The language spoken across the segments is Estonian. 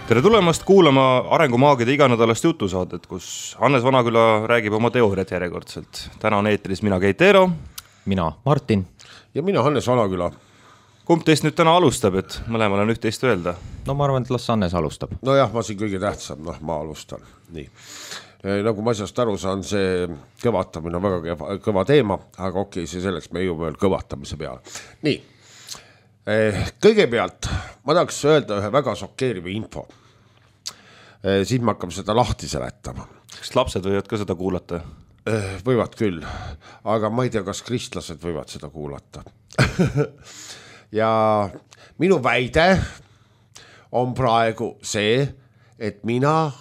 Tere tulemast kuulama Arengumaagide iganädalast jutusaadet, kus Hannes Vanaküla räägib oma teooriat järjekordselt. Täna on eetris mina Keit Eero, mina Martin ja mina Hannes Vanaküla. Kumb teist nüüd täna alustab, et mõlemal on üht-teist öelda? No ma arvan, et las Hannes alustab. Nojah, ma siin kõige tähtsam, ma alustan. Nii. Nagu ma asjast aru saan, see kõvatamine on väga kõva teema, aga okei, see selleks me jõuame veel kõvatamise peale. Nii. Kõigepealt ma tahaks öelda ühe väga šokeeriva info. Siis me hakkame seda lahti seletama. Kas lapsed võivad ka seda kuulata? Võivad küll, aga ma ei tea, kas kristlased võivad seda kuulata. Ja minu väide on praegu see, et mina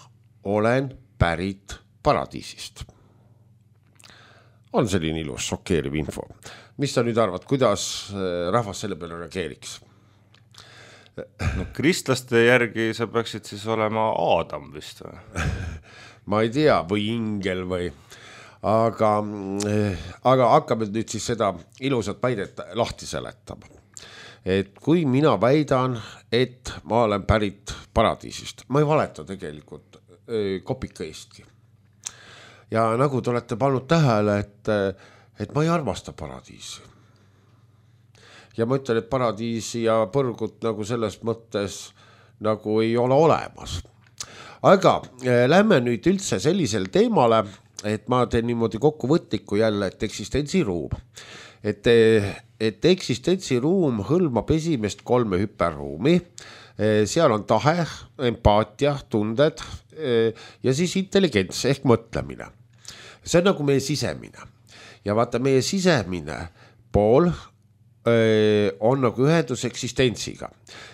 olen pärit paradiisist. On selline ilus šokeeriv info. Mis sa nüüd arvad, kuidas rahvas selle peale reageeriks? No, kristlaste järgi sa peaksid siis olema Aadam vist või? Ma ei tea, või ingel või... Aga hakkame nüüd siis seda ilusat väidet lahti seletama. Et kui mina väidan, et ma olen pärit paradiisist, ma ei valeta tegelikult kopika eestki. Ja nagu te olete pannud tähele, et ma ei armasta paradiisi. Ja ma ütlen, et paradiisi ja põrgut nagu selles mõttes nagu ei ole olemas. Aga lähme nüüd üldse sellisel teemale, et ma teen niimoodi kokkuvõtliku jälle, et eksistentsiruum. Et eksistentsiruum hõlmab esimest 3 hüperruumi. Seal on tahe, empaatia, tunded ja siis intelligents ehk mõtlemine. See on nagu meie sisemine. Ja vaata, meie sisemine pool on nagu ühendus eksistentsiga.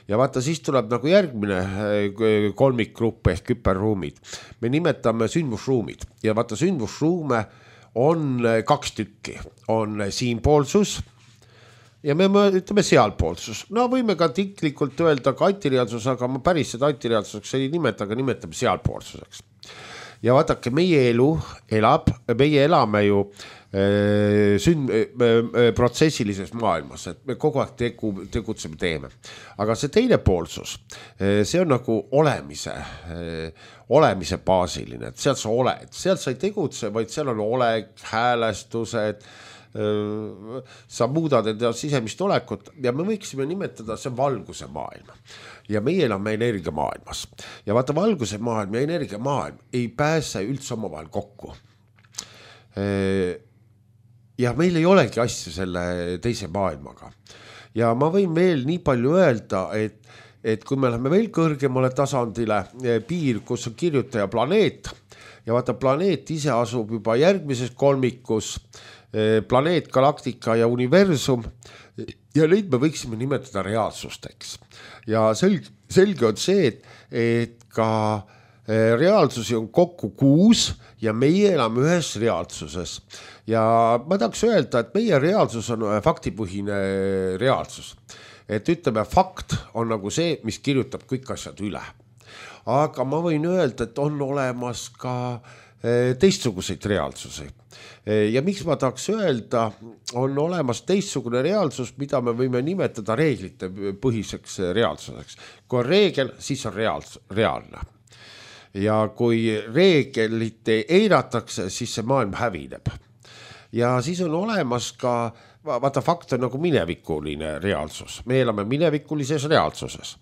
Ja vaata, siis tuleb nagu järgmine kolmikgrupp ehk hüperruumid. Me nimetame sündmusruumid. Ja vaata, sündmusruume on 2 tükki. On siinpoolsus ja me ütleme sealpoolsus. No võime ka tiklikult öelda ka antireaalsus, aga ma päris seda antireaalsuseks ei nimeta, aga nimetame sealpoolsuseks. Ja vaadake, meie elame ju protsessilises maailmas, et me kogu aeg tegutseme teeme. Aga see teine poolsus, see on nagu olemise baasiline, et seal sa oled, seal sa ei tegutse, vaid seal on oleg, häälestused, sa muudad enda sisemist olekut ja me võiksime nimetada see valguse maailm. Ja meie elame energiamaailmas. Ja vaata, valguse maailm ja energiamaailm ei pääse üldse omavahel kokku. Ja meil ei olegi asja selle teise maailmaga. Ja ma võin veel nii palju öelda, et kui me läheme veel kõrgemale tasandile, piir, kus on kirjutaja planeet, ja vaata, planeet ise asub juba järgmises kolmikus, planeet, galaktika ja universum, ja neid me võiksime nimetada reaalsusteks. Ja selge on see, et ka reaalsusi on kokku 6 ja meie elame ühes reaalsuses. Ja ma tahaks öelda, et meie reaalsus on faktipõhine reaalsus. Et ütleme, fakt on nagu see, mis kirjutab kõik asjad üle. Aga ma võin öelda, et on olemas ka teistsuguseid reaalsusi. Ja miks ma tahaks öelda, on olemas teistsugune reaalsus, mida me võime nimetada reeglite põhiseks reaalsuseks. Kui on reegel, siis on reaalne. Ja kui reeglit eiratakse, siis see maailm hävineb. Ja siis on olemas ka, vaata, fakt on nagu minevikuline reaalsus. Me elame minevikulises reaalsuses.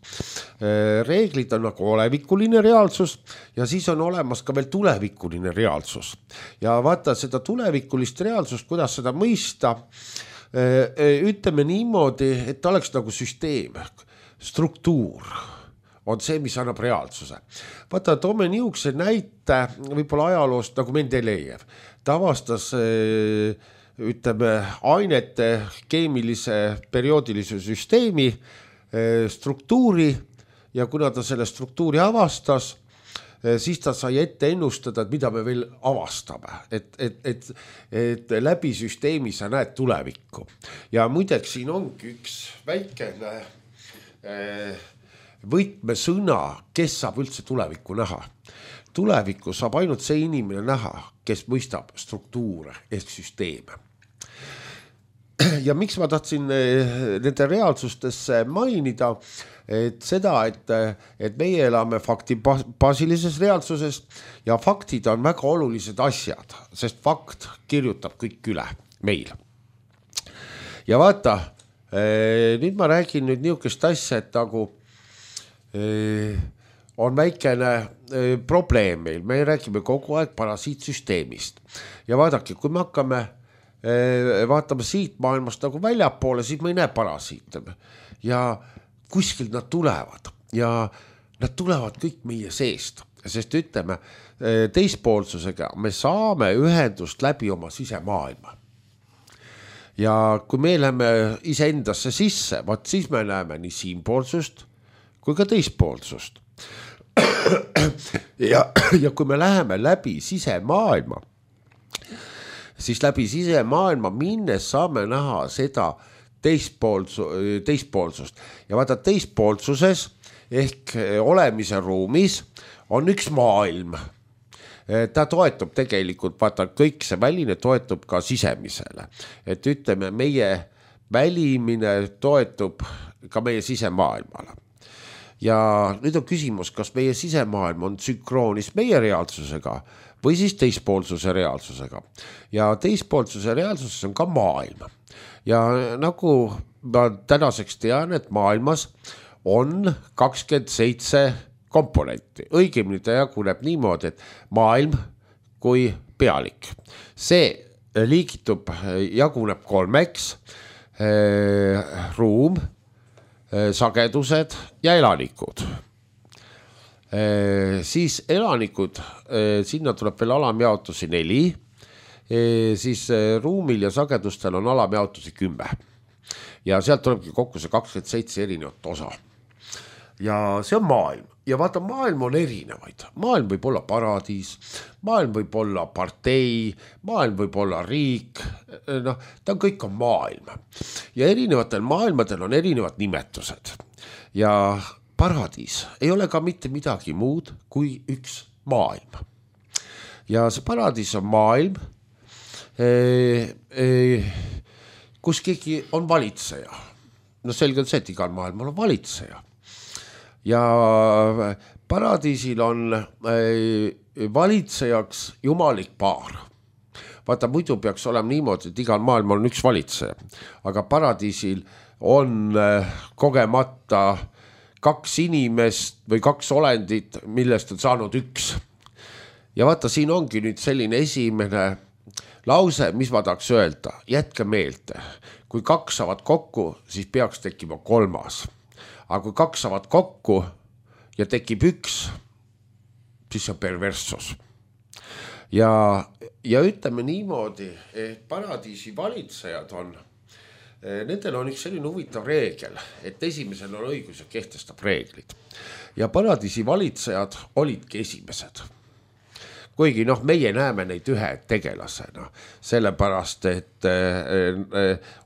Reeglid on nagu olevikuline reaalsus ja siis on olemas ka veel tulevikuline reaalsus. Ja vaata, seda tulevikulist reaalsust, kuidas seda mõista, ütleme niimoodi, et ta oleks nagu süsteem, struktuur on see, mis annab reaalsuse. Vaata, toome niisuguse näite võib-olla ajaloost nagu Mendelejev. Ta avastas, ütleme, ainete keemilise perioodilise süsteemi struktuuri ja kuna ta selle struktuuri avastas, siis ta sai ette ennustada, et mida me veel avastame. Et läbi süsteemi sa näed tulevikku. Ja muideks siin ongi üks väikene võtmesõna, kes saab üldse tulevikku näha. Tulevikku saab ainult see inimene näha, kes mõistab struktuure ehk süsteeme. ja miks ma tahtsin nende reaalsustesse mainida, et seda, et meie elame faktibaasilises reaalsuses ja faktid on väga olulised asjad, sest fakt kirjutab kõik üle meil. Ja vaata, nüüd ma räägin nüüd niisugust asja, et nagu on väikene probleem meil, me räägime kogu aeg parasiitsüsteemist ja vaadake, kui me hakkame vaatame siit maailmast nagu väljapoole, siis me ei näe parasiite ja kuskilt nad tulevad ja nad tulevad kõik meie seest, sest ütleme teispoolsusega me saame ühendust läbi oma sisemaailma. Ja kui me läheme iseendasse sisse, vaat siis me näeme nii siinpoolsust kui ka teispoolsust. ja kui me läheme läbi sisemaailma, siis läbi sisemaailma minnes saame näha seda teispoolsust. Ja vaata teispoolsuses ehk olemise ruumis on üks maailm. Ta toetub tegelikult, vaata kõik see väline toetub ka sisemisele. Et ütleme, meie välimine toetub ka meie sisemaailmale. Ja nüüd on küsimus, kas meie sisemaailm on sünkroonis meie reaalsusega või siis teispoolsuse reaalsusega. Ja teispoolsuse reaalsuses on ka maailm. Ja nagu ma tänaseks tean, et maailmas on 27 komponenti. Õigemini ta jaguneb niimoodi, et maailm kui pealik. See liigitub, jaguneb kolmeks, ruum, sagedused ja elanikud. Siis elanikud, sinna tuleb veel alamjaotusi 4, siis ruumil ja sagedustel on alamjaotusi 10. Ja sealt tulebki kokku see 27 erinevat osa. Ja see on maailm. Ja vaata, maailm on erinevaid. Maailm võib olla paradiis, maailm võib olla partei, maailm võib olla riik, no, ta kõik on maailm. Ja erinevatel maailmadel on erinevad nimetused. Ja paradiis ei ole ka mitte midagi muud kui üks maailm. Ja see paradiis on maailm, kus keegi on valitseja. No selge on see, et igal maailmal on valitseja. Ja paradiisil on valitsejaks jumalik paar. Vaata, muidu peaks olema niimoodi, et igal maailmal on üks valitseja. Aga paradiisil on kogemata 2 inimest või 2 olendit, millest on saanud 1. Ja vaata, siin ongi nüüd selline esimene lause, mis ma tahaks öelda. Jätke meelde, kui 2 saavad kokku, siis peaks tekkima 3. Aga kui 2 saavad kokku ja tekib 1, siis on perverssus. Ja ütleme niimoodi, et paradiisi valitsejad on, nendel on üks selline huvitav reegel, et esimesel on õigus ja kehtestab reeglid. Ja paradiisi valitsejad olidki esimesed. Kuigi meie näeme neid ühe tegelasena, sellepärast, et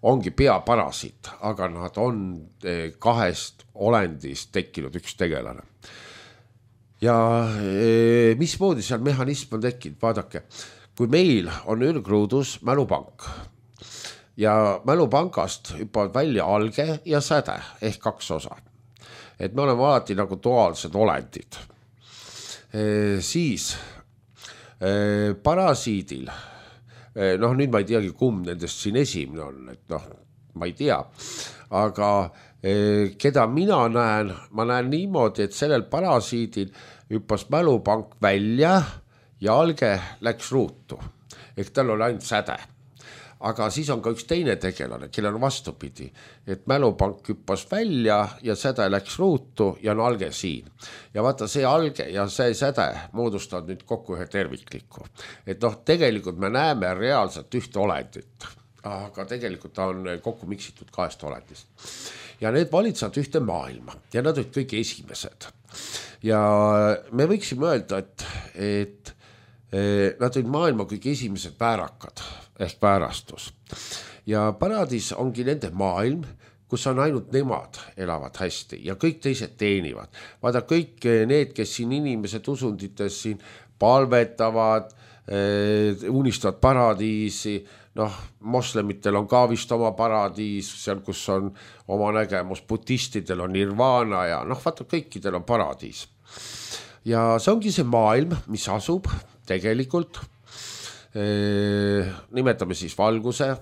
ongi peaparasiit, aga nad on 2 olendist tekkinud 1 tegelane. Ja mismoodi seal mehhanism on tekkinud? Vaadake, kui meil on ürgruudus mälupank ja mälupangast hüppavad välja alge ja säde ehk 2 osa, et me oleme alati nagu duaalsed olendid, siis parasiidil, nüüd ma ei teagi, kumb nendest siin esimene on, et ma ei tea, aga keda mina näen, ma näen niimoodi, et sellel parasiidil hüppas mälupank välja ja alge läks ruutu, ehk tal oli ainult säde. Aga siis on ka üks teine tegelane, kellel on vastupidi, et mälupank hüppas välja ja säde läks ruutu ja on alge siin. Ja vaata, see alge ja see säde moodustavad nüüd kokku ühe tervikliku. Et tegelikult me näeme reaalselt ühte olendit, aga tegelikult ta on kokku miksitud 2 olendist. Ja need valitsevad ühte maailma ja nad olid kõik esimesed. Ja me võiksime öelda, et nad olid maailma kõik esimesed väärakad ehk väärastus. Ja paradiis ongi nende maailm, kus on ainult nemad elavad hästi ja kõik teised teenivad. Vaata, kõik need, kes siin inimesed usundites siin palvetavad, unistavad paradiisi, noh, moslemitel on ka vist oma paradiis, seal kus on oma nägemus, budistidel on nirvana ja noh, vaata kõikidel on paradiis. Ja see ongi see maailm, mis asub tegelikult, nimetame siis valguse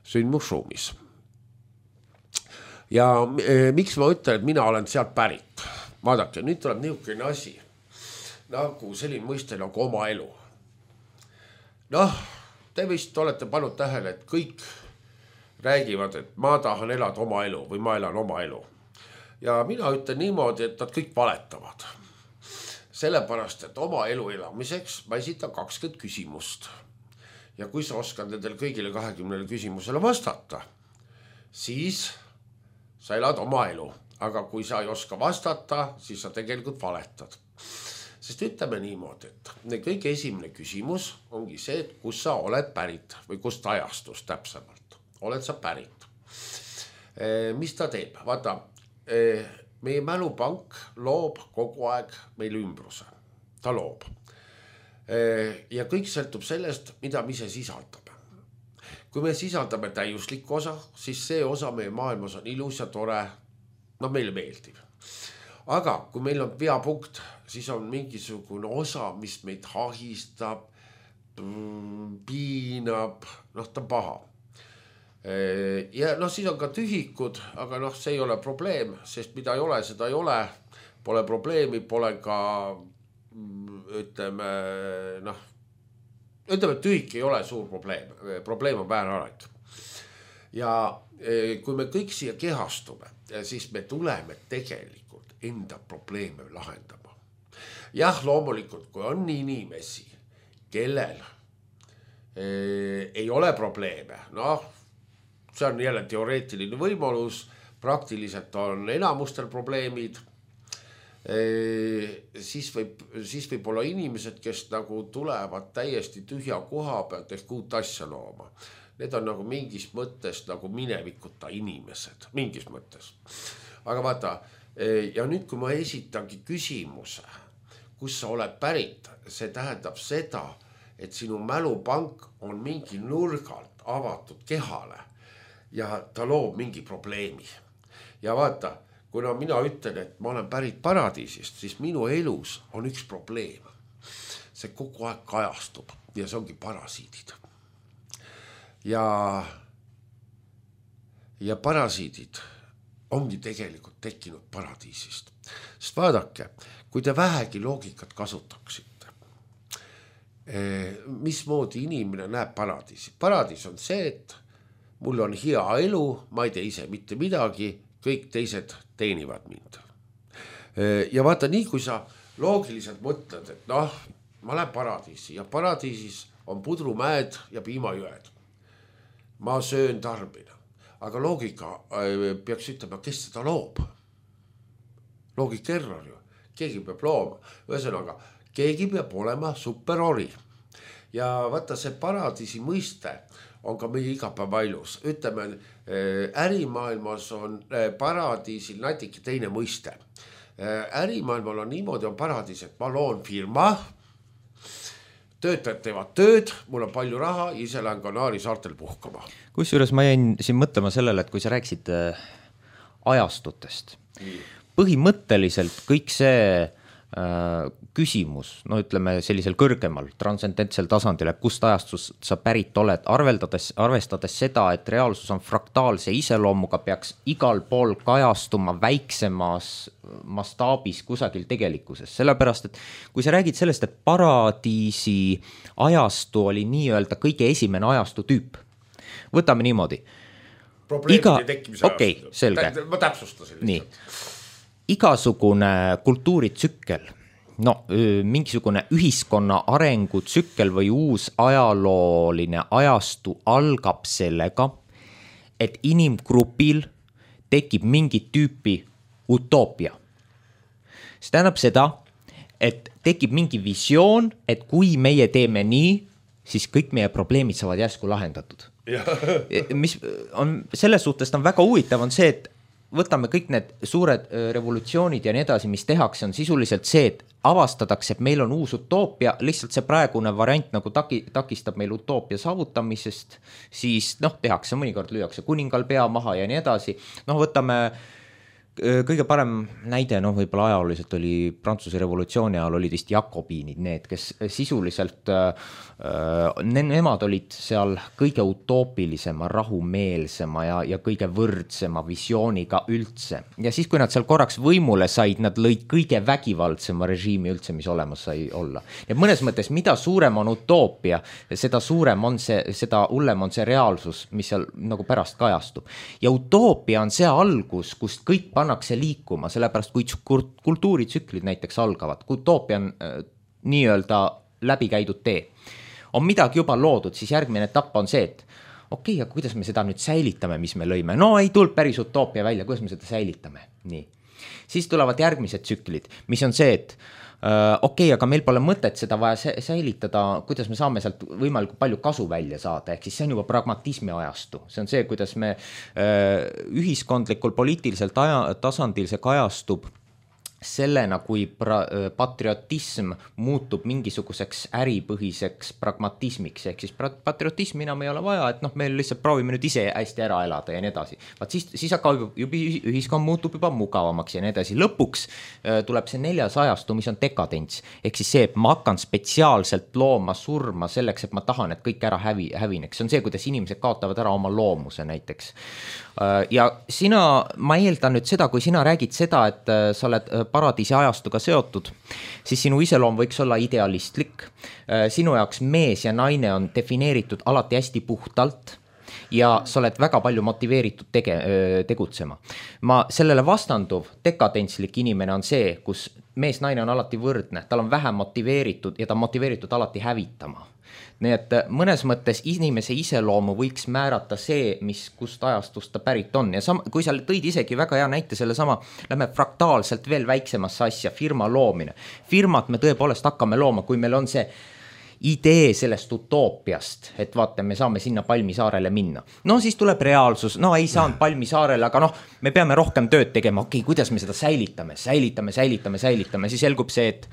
sündmusruumis. Ja miks ma ütlen, et mina olen sealt pärit? Vaadake, nüüd tuleb niisugune asi, nagu selline mõiste nagu oma elu. Noh, te vist olete pannud tähele, et kõik räägivad, et ma tahan elada oma elu või ma elan oma elu. Ja mina ütlen niimoodi, et nad kõik valetavad. Sellepärast, et oma elu elamiseks ma esitan 20 küsimust. Ja kui sa oskad nendele kõigile 20 küsimusele vastata, siis sa elad oma elu. Aga kui sa ei oska vastata, siis sa tegelikult valetad. Sest ütleme niimoodi, et kõige esimene küsimus ongi see, et kus sa oled pärit või kust ajastus täpsemalt. Oled sa pärit. Mis ta teeb? Vaata, meie mälupank loob kogu aeg meil ümbruse. Ta loob. Ja kõik sõltub sellest, mida me ise sisaldame. Kui me sisaldame täiuslikku osa, siis see osa meie maailmas on ilus ja tore, no meile meeldib. Aga kui meil on veapunkt, siis on mingisugune osa, mis meid hahistab, piinab, noh, ta on paha. Ja noh, siis on ka tühikud, aga noh, see ei ole probleem, sest mida ei ole, seda ei ole. Pole probleemi, pole ka, ütleme, tühik ei ole suur probleem. Probleem on väärareng. Ja kui me kõik siia kehastume, siis me tuleme tegelikult enda probleeme lahendama. Jah, loomulikult, kui on inimesi, kellel ei ole probleeme, noh, see on jälle teoreetiline võimalus, praktiliselt on enamustel probleemid, siis võib olla inimesed, kes nagu tulevad täiesti tühja koha pealt ehk uut asja looma. Need on nagu mingis mõttes nagu minevikuta inimesed, mingis mõttes. Aga vaata, ja nüüd kui ma esitangi küsimuse, kus sa oled pärit, see tähendab seda, et sinu mälupank on mingi nurgalt avatud kehale ja ta loob mingi probleemi. Ja vaata, kuna mina ütlen, et ma olen pärit paradiisist, siis minu elus on üks probleem. See kogu aeg kajastub ja see ongi parasiidid. Ja parasiidid ongi tegelikult tekkinud paradiisist. Sest vaadake, kui te vähegi loogikat kasutaksite, mismoodi inimene näeb paradiisi? Paradiis on see, et mul on hea elu, ma ei tee ise mitte midagi, kõik teised teenivad mind. Ja vaata, nii kui sa loogiliselt mõtled, et noh, ma lähen paradiisi ja paradiisis on pudrumäed ja piimajõed. Ma söön tarbina, aga loogika peaks ütlema, kes seda loob. Loogika error ju, keegi peab looma. Ühesõnaga, keegi peab olema superori. Ja vaata, see paradiisi mõiste on ka meie igapäevaelus. Ütleme, ärimaailmas on paradiisil natuke teine mõiste. Ärimaailmal on niimoodi, on paradiis, et ma loon firma, töötajad teevad tööd, mul on palju raha, ise lähen Kanaari saartel puhkama. Kusjuures ma jäin siin mõtlema sellele, et kui sa rääksid ajastutest, põhimõtteliselt kõik see küsimus, no ütleme sellisel kõrgemal transcendentsel tasandil, et kust ajastus sa pärit oled, arvestades seda, et reaalsus on fraktaalse iseloomuga, peaks igal pool kajastuma väiksemas mastaabis kusagil tegelikkuses. Sellepärast, et kui sa räägid sellest, et paradiisi ajastu oli nii-öelda kõige esimene ajastu tüüp, võtame niimoodi. Probleemide tekkimise ajastu. Okay, selge. Ma täpsustasin lihtsalt. Nii. Igasugune kultuuritsükkel, no mingisugune ühiskonna arengutsükkel või uus ajalooline ajastu algab sellega, et inimgrupil tekib mingi tüüpi utoopia. See tähendab seda, et tekib mingi visioon, et kui meie teeme nii, siis kõik meie probleemid saavad järsku lahendatud. Mis on selles suhtes on väga huvitav on see, et võtame kõik need suured revolutsioonid ja nii edasi, mis tehakse, on sisuliselt see, et avastatakse, et meil on uus utoopia, lihtsalt see praegune variant nagu takistab meil utoopia saavutamisest, siis tehakse mõnikord, lüüakse kuningal pea maha ja nii edasi. Võtame kõige parem näide, võib-olla ajalooliselt oli Prantsuse revolutsiooni ajal olid vist jakobiinid, need, kes sisuliselt, nemad olid seal kõige utoopilisema, rahumeelsema ja kõige võrdsema visiooniga üldse. Ja siis, kui nad seal korraks võimule said, nad lõid kõige vägivaldsema režiimi üldse, mis olemas sai olla. Ja mõnes mõttes, mida suurem on utoopia, seda suurem on see, seda hullem on see reaalsus, mis seal nagu pärast kajastub. Ja utoopia on see algus, kust kõik pannakse liikuma, sellepärast kui kultuuritsüklid näiteks algavad, kui utoopia on nii-öelda läbikäidud tee, on midagi juba loodud, siis järgmine etapp on see, et okei, aga kuidas me seda nüüd säilitame, mis me lõime? Ei tulnud päris utoopia välja, kuidas me seda säilitame? Nii. Siis tulevad järgmised tsüklid, mis on see, et okei, aga meil pole mõtet seda vaja säilitada, kuidas me saame sealt võimalikult palju kasu välja saada, ehk siis see on juba pragmatismi ajastu. See on see, kuidas me ühiskondlikul poliitilisel tasandil see kajastub sellena, kui patriotism muutub mingisuguseks äripõhiseks pragmatismiks, ehk siis patriotism enam ei ole vaja, et me lihtsalt proovime nüüd ise hästi ära elada ja nii edasi. Siis hakkab juba ühiskond muutub juba mugavamaks ja nii edasi. Lõpuks tuleb see 4. ajastu, mis on dekadents, ehk siis see, et ma hakkan spetsiaalselt looma surma selleks, et ma tahan, et kõik ära hävineks. See on see, kuidas inimesed kaotavad ära oma loomuse näiteks. Ja sina, ma eeldan nüüd seda, kui sina räägid seda, et sa oled paradiisi ajastuga seotud, siis sinu iseloom võiks olla idealistlik. Sinu jaoks mees ja naine on defineeritud alati hästi puhtalt ja sa oled väga palju motiveeritud tegutsema. Sellele vastanduv dekadentslik inimene on see, kus mees-naine on alati võrdne, tal on vähem motiveeritud ja ta on motiveeritud alati hävitama. Nii et mõnes mõttes inimese iseloomu võiks määrata see, kust ajastust ta pärit on. Ja kui sa tõid isegi väga hea näite selle sama, lähme fraktaalselt veel väiksemasse asja, firma loomine. Firmat me tõepoolest hakkame looma, kui meil on see idee sellest utoopiast, et vaata, me saame sinna Palmisaarele minna. Siis tuleb reaalsus, ei saanud Palmisaarele, aga me peame rohkem tööd tegema. Okei, kuidas me seda säilitame, siis selgub see, et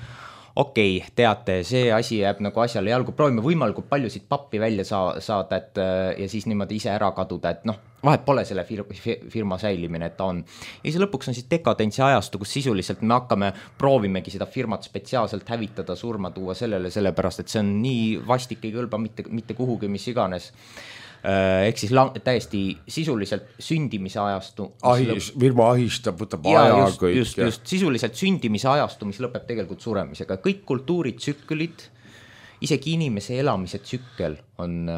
okei, teate, see asi jääb nagu asjale jalgu, proovime võimalikult palju siit pappi välja saada, ja siis niimoodi ise ära kaduda, et vahet pole selle firma säilimine, et ta on. Ja siis lõpuks on siis dekadentsi ajastu, kus sisuliselt me proovimegi seda firmat spetsiaalselt hävitada, surma tuua sellepärast, et see on nii vastik, ei kõlba mitte kuhugi, mis iganes. Ehk siis täiesti sisuliselt sündimise ajastu. Firma ahistab, võtab aja kõik. Just, sisuliselt sündimise ajastu, mis lõpeb tegelikult suremisega. Kõik kultuuritsüklid, isegi inimese elamise tsükkel on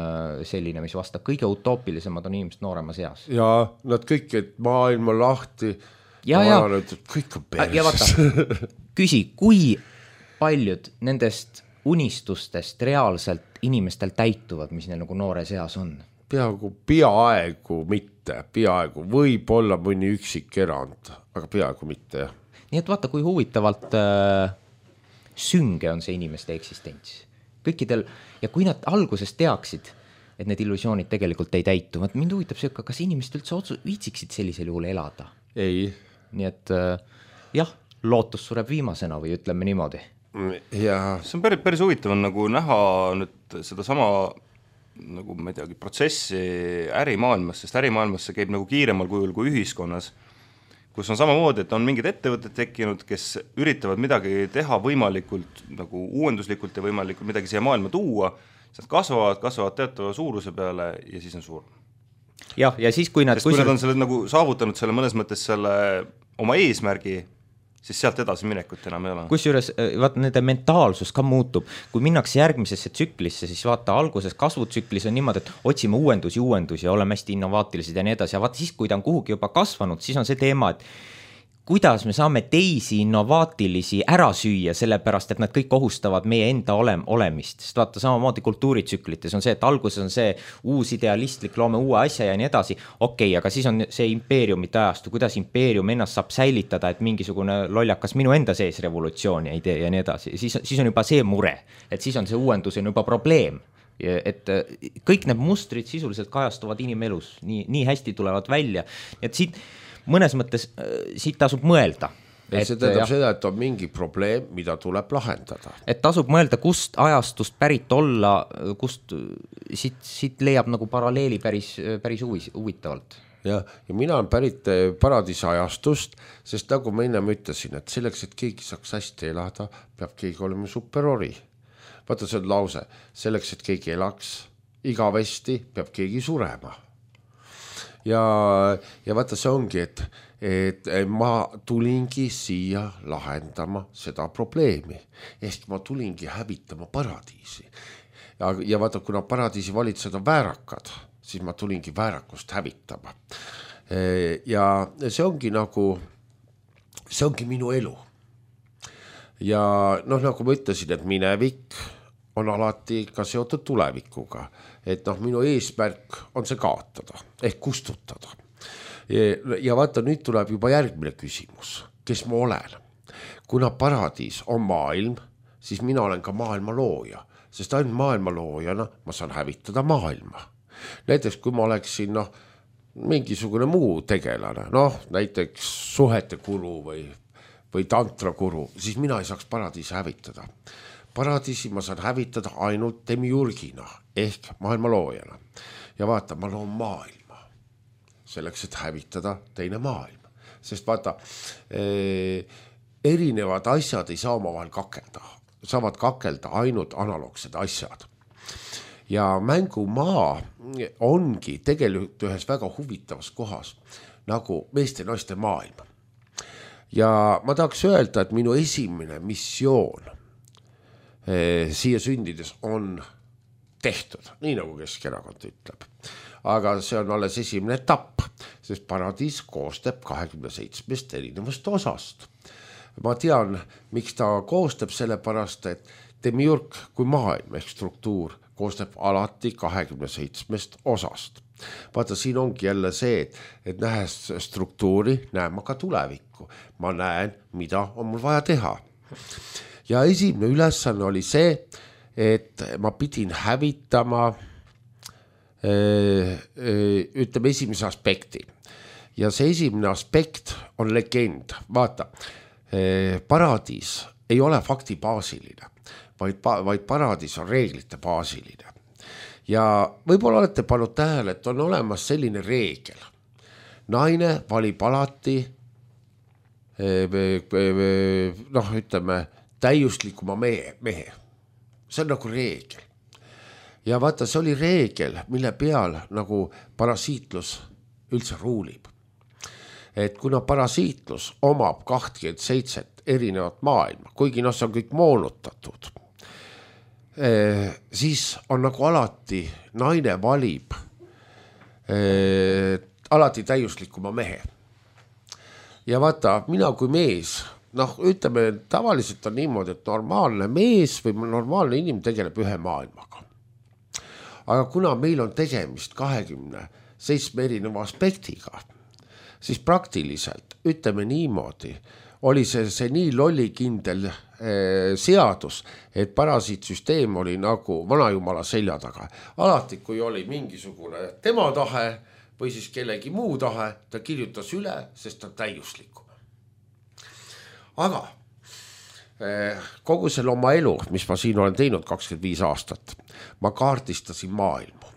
selline, mis vastab. Kõige utoopilisemad on inimesed nooremas eas. Ja nad kõik, et maailm on lahti. Ja. Kõik on perses. Küsi, kui paljud nendest unistustest reaalselt inimestel täituvad, mis neil nagu noores eas on? Peaaegu mitte, võib olla mõni üksik erand, aga peaaegu mitte. Nii et vaata, kui huvitavalt sünge on see inimeste eksistents. Kõikidel, ja kui nad alguses teaksid, et need illusioonid tegelikult ei täitu, mind huvitab see, kas inimesed üldse viitsiksid sellisel juhul elada? Ei. Nii et lootus sureb viimasena või ütleme niimoodi. Ja see on päris huvitav on nagu näha nüüd seda sama nagu ma ei teagi protsessi ärimaailmas, sest ärimaailmas see käib nagu kiiremal kujul kui ühiskonnas, kus on samamoodi, et on mingid ettevõtted tekkinud, kes üritavad midagi teha võimalikult nagu uuenduslikult ja võimalikult midagi siia maailma tuua, siis nad kasvavad teatava suuruse peale ja siis on suur. Ja siis kui nad on selle nagu saavutanud selle mõnes mõttes selle oma eesmärgi, siis sealt edasi minekut enam ei ole. Kusjuures, vaata, nende mentaalsus ka muutub. Kui minnakse järgmisesse tsüklisse, siis vaata, alguses kasvutsüklis on niimoodi, et otsime uuendusi, oleme hästi innovaatilised ja nii edasi. Ja vaata, siis kui ta on kuhugi juba kasvanud, siis on see teema, et kuidas me saame teisi innovaatilisi ära süüa, sellepärast, et nad kõik ohustavad meie enda olemist. Sest vaata, samamoodi kultuuritsüklites on see, et alguses on see uus idealistlik, loome uue asja ja nii edasi. Okei, aga siis on see impeeriumite ajastu, kuidas impeerium ennast saab säilitada, et mingisugune lollakas minu enda sees revolutsiooni ei tee ja nii edasi. Siis on juba see mure, et siis on see uuendus on juba probleem. Et kõik need mustrid sisuliselt kajastuvad inimelus, nii hästi tulevad välja. Et siit mõnes mõttes siit tasub mõelda. See tähendab seda, et on mingi probleem, mida tuleb lahendada. Et tasub mõelda, kust ajastust pärit olla, kust siit leiab nagu paralleeli päris huvitavalt. Ja mina olen pärit paradiisi ajastust, sest nagu ma ennem ütlesin, et selleks, et keegi saaks hästi elada, peab keegi olema superori. Vaata, see on lause, selleks, et keegi elaks igavesti, peab keegi surema. Ja vaata, see ongi, et ma tulingi siia lahendama seda probleemi. Ehk ma tulingi hävitama paradiisi. Ja vaata, kuna paradiisi valitsejad on väärakad, siis ma tulingi väärakust hävitama. Ja see ongi nagu, see ongi minu elu. Ja nagu ma ütlesin, et minevik on alati ka seotud tulevikuga. Et minu eesmärk on see kaotada, ehk kustutada. Ja vaata, nüüd tuleb juba järgmine küsimus, kes ma olen. Kuna paradiis on maailm, siis mina olen ka maailma looja, sest ainult maailma loojana ma saan hävitada maailma. Näiteks kui ma oleksin mingisugune muu tegelane, näiteks suhete guru või tantra guru, siis mina ei saaks paradiisi hävitada. Paradiisi ma saan hävitada ainult demiurgina ehk maailma loojana. Ja vaata, ma loon maailma selleks, et hävitada teine maailm. Sest vaata, erinevad asjad ei saa omavahel kakelda. Saavad kakelda ainult analoogsed asjad. Ja mängumaa ongi tegelikult ühes väga huvitavas kohas, nagu meeste ja naiste maailm. Ja ma tahaks öelda, et minu esimene missioon siia sündides on tehtud, nii nagu Keskerakond ütleb. Aga see on alles esimene etapp, sest paradiis koostab 27 erinevast osast. Ma tean, miks ta koostab sellepärast, et demiurg kui maailm ehk struktuur koostab alati 27 osast. Vaata, siin ongi jälle see, et nähes struktuuri, näen ma ka tulevikku. Ma näen, mida on mul vaja teha. Ja esimene ülesanne oli see, et ma pidin hävitama ütleme esimese aspekti. Ja see esimene aspekt on legend. Vaata, paradiis ei ole faktibaasiline, vaid paradiis on reeglite baasiline. Ja võib-olla olete pannud tähele, et on olemas selline reegel. Naine valib alati ütleme täiuslikuma mehe. See on nagu reegel. Ja vaata, see oli reegel, mille peal nagu parasiitlus üldse ruulib. Et kuna parasiitlus omab 27 erinevat maailma, kuigi see on kõik moonutatud, siis on nagu alati naine valib alati täiuslikuma mehe. Ja vaata, mina kui mees, ütleme, tavaliselt on niimoodi, et normaalne mees või normaalne inimene tegeleb ühe maailmaga. Aga kuna meil on tegemist 27 erineva aspektiga, siis praktiliselt, ütleme niimoodi, oli see nii lollikindel seadus, et parasiitsüsteem oli nagu vanajumala selja taga. Alati, kui oli mingisugune tema tahe või siis kellegi muu tahe, ta kirjutas üle, sest ta täiuslikum. Aga kogu selle oma elu, mis ma siin olen teinud 25 aastat, ma kaardistasin maailmu.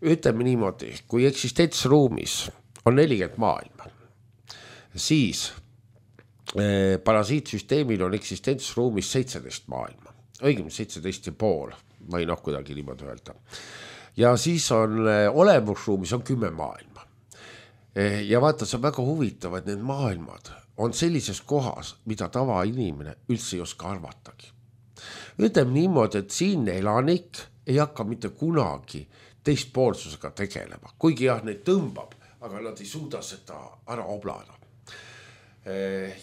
Ütleme niimoodi, kui eksistentsruumis on 40 maailma, siis parasiitsüsteemil on eksistentsruumis 17 maailma, õigemini 17,5, ma ei kuidagi niimoodi öelda. Ja siis on olemusruumis on 10 maailma. Ja vaata, see on väga huvitav, et need maailmad on sellises kohas, mida tavainimene üldse ei oska arvatagi. Ütleme niimoodi, et siin elanik ei hakka mitte kunagi teistpoolsusega tegelema, kuigi neid tõmbab, aga nad ei suuda seda ära oblada.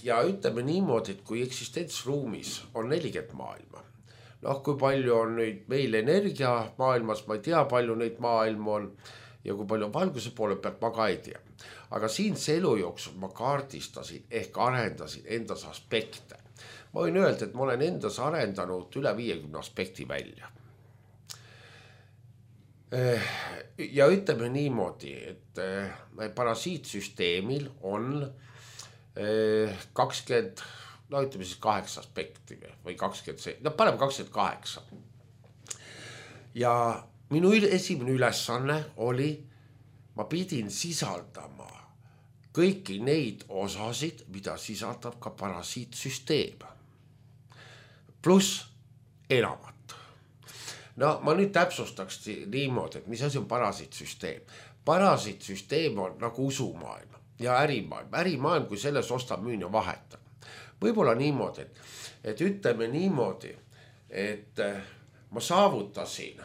Ja ütleme niimoodi, et kui eksistentsruumis on 40 maailma, kui palju on nüüd meil energia maailmas, ma ei tea, palju neid maailm on ja kui palju on valguse poole pealt, ma ka ei tea. Aga siinse elu jooksul ma kaardistasin ehk arendasin endas aspekte. Ma võin öelda, et ma olen endas arendanud üle 50 aspekti välja. Ja ütleme niimoodi, et parasiitsüsteemil on 20, no ütleme siis 8 aspekti või 20, no paneme 28. Ja minu esimene ülesanne oli, ma pidin sisaldama kõiki neid osasid, mida sisaldab ka parasiitsüsteem. Pluss enamat. No ma nüüd täpsustaks niimoodi, et mis asi on parasiitsüsteem. Parasiitsüsteem on nagu usumaailm ja ärimaailm. Ärimaailm, kui selles ostab, müün ja vahetab. Võib-olla niimoodi, et ütleme niimoodi, et ma saavutasin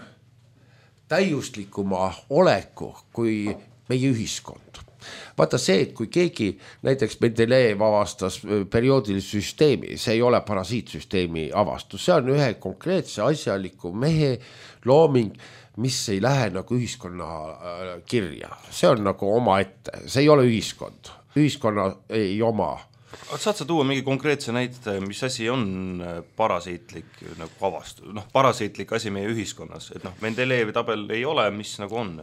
täiuslikuma oleku kui meie ühiskond. Vaata see, et kui keegi näiteks Mendelejev avastas perioodilise süsteemi, see ei ole parasiitsüsteemi avastus, see on ühe konkreetse asjaliku mehe looming, mis ei lähe nagu ühiskonna kirja. See on nagu oma ette, see ei ole ühiskond, ühiskonna ei oma. Saad sa tuua mingi konkreetse näite, mis asi on parasiitlik nagu avastus, parasiitlik asi meie ühiskonnas, et Mendelejevi tabel ei ole, mis nagu on?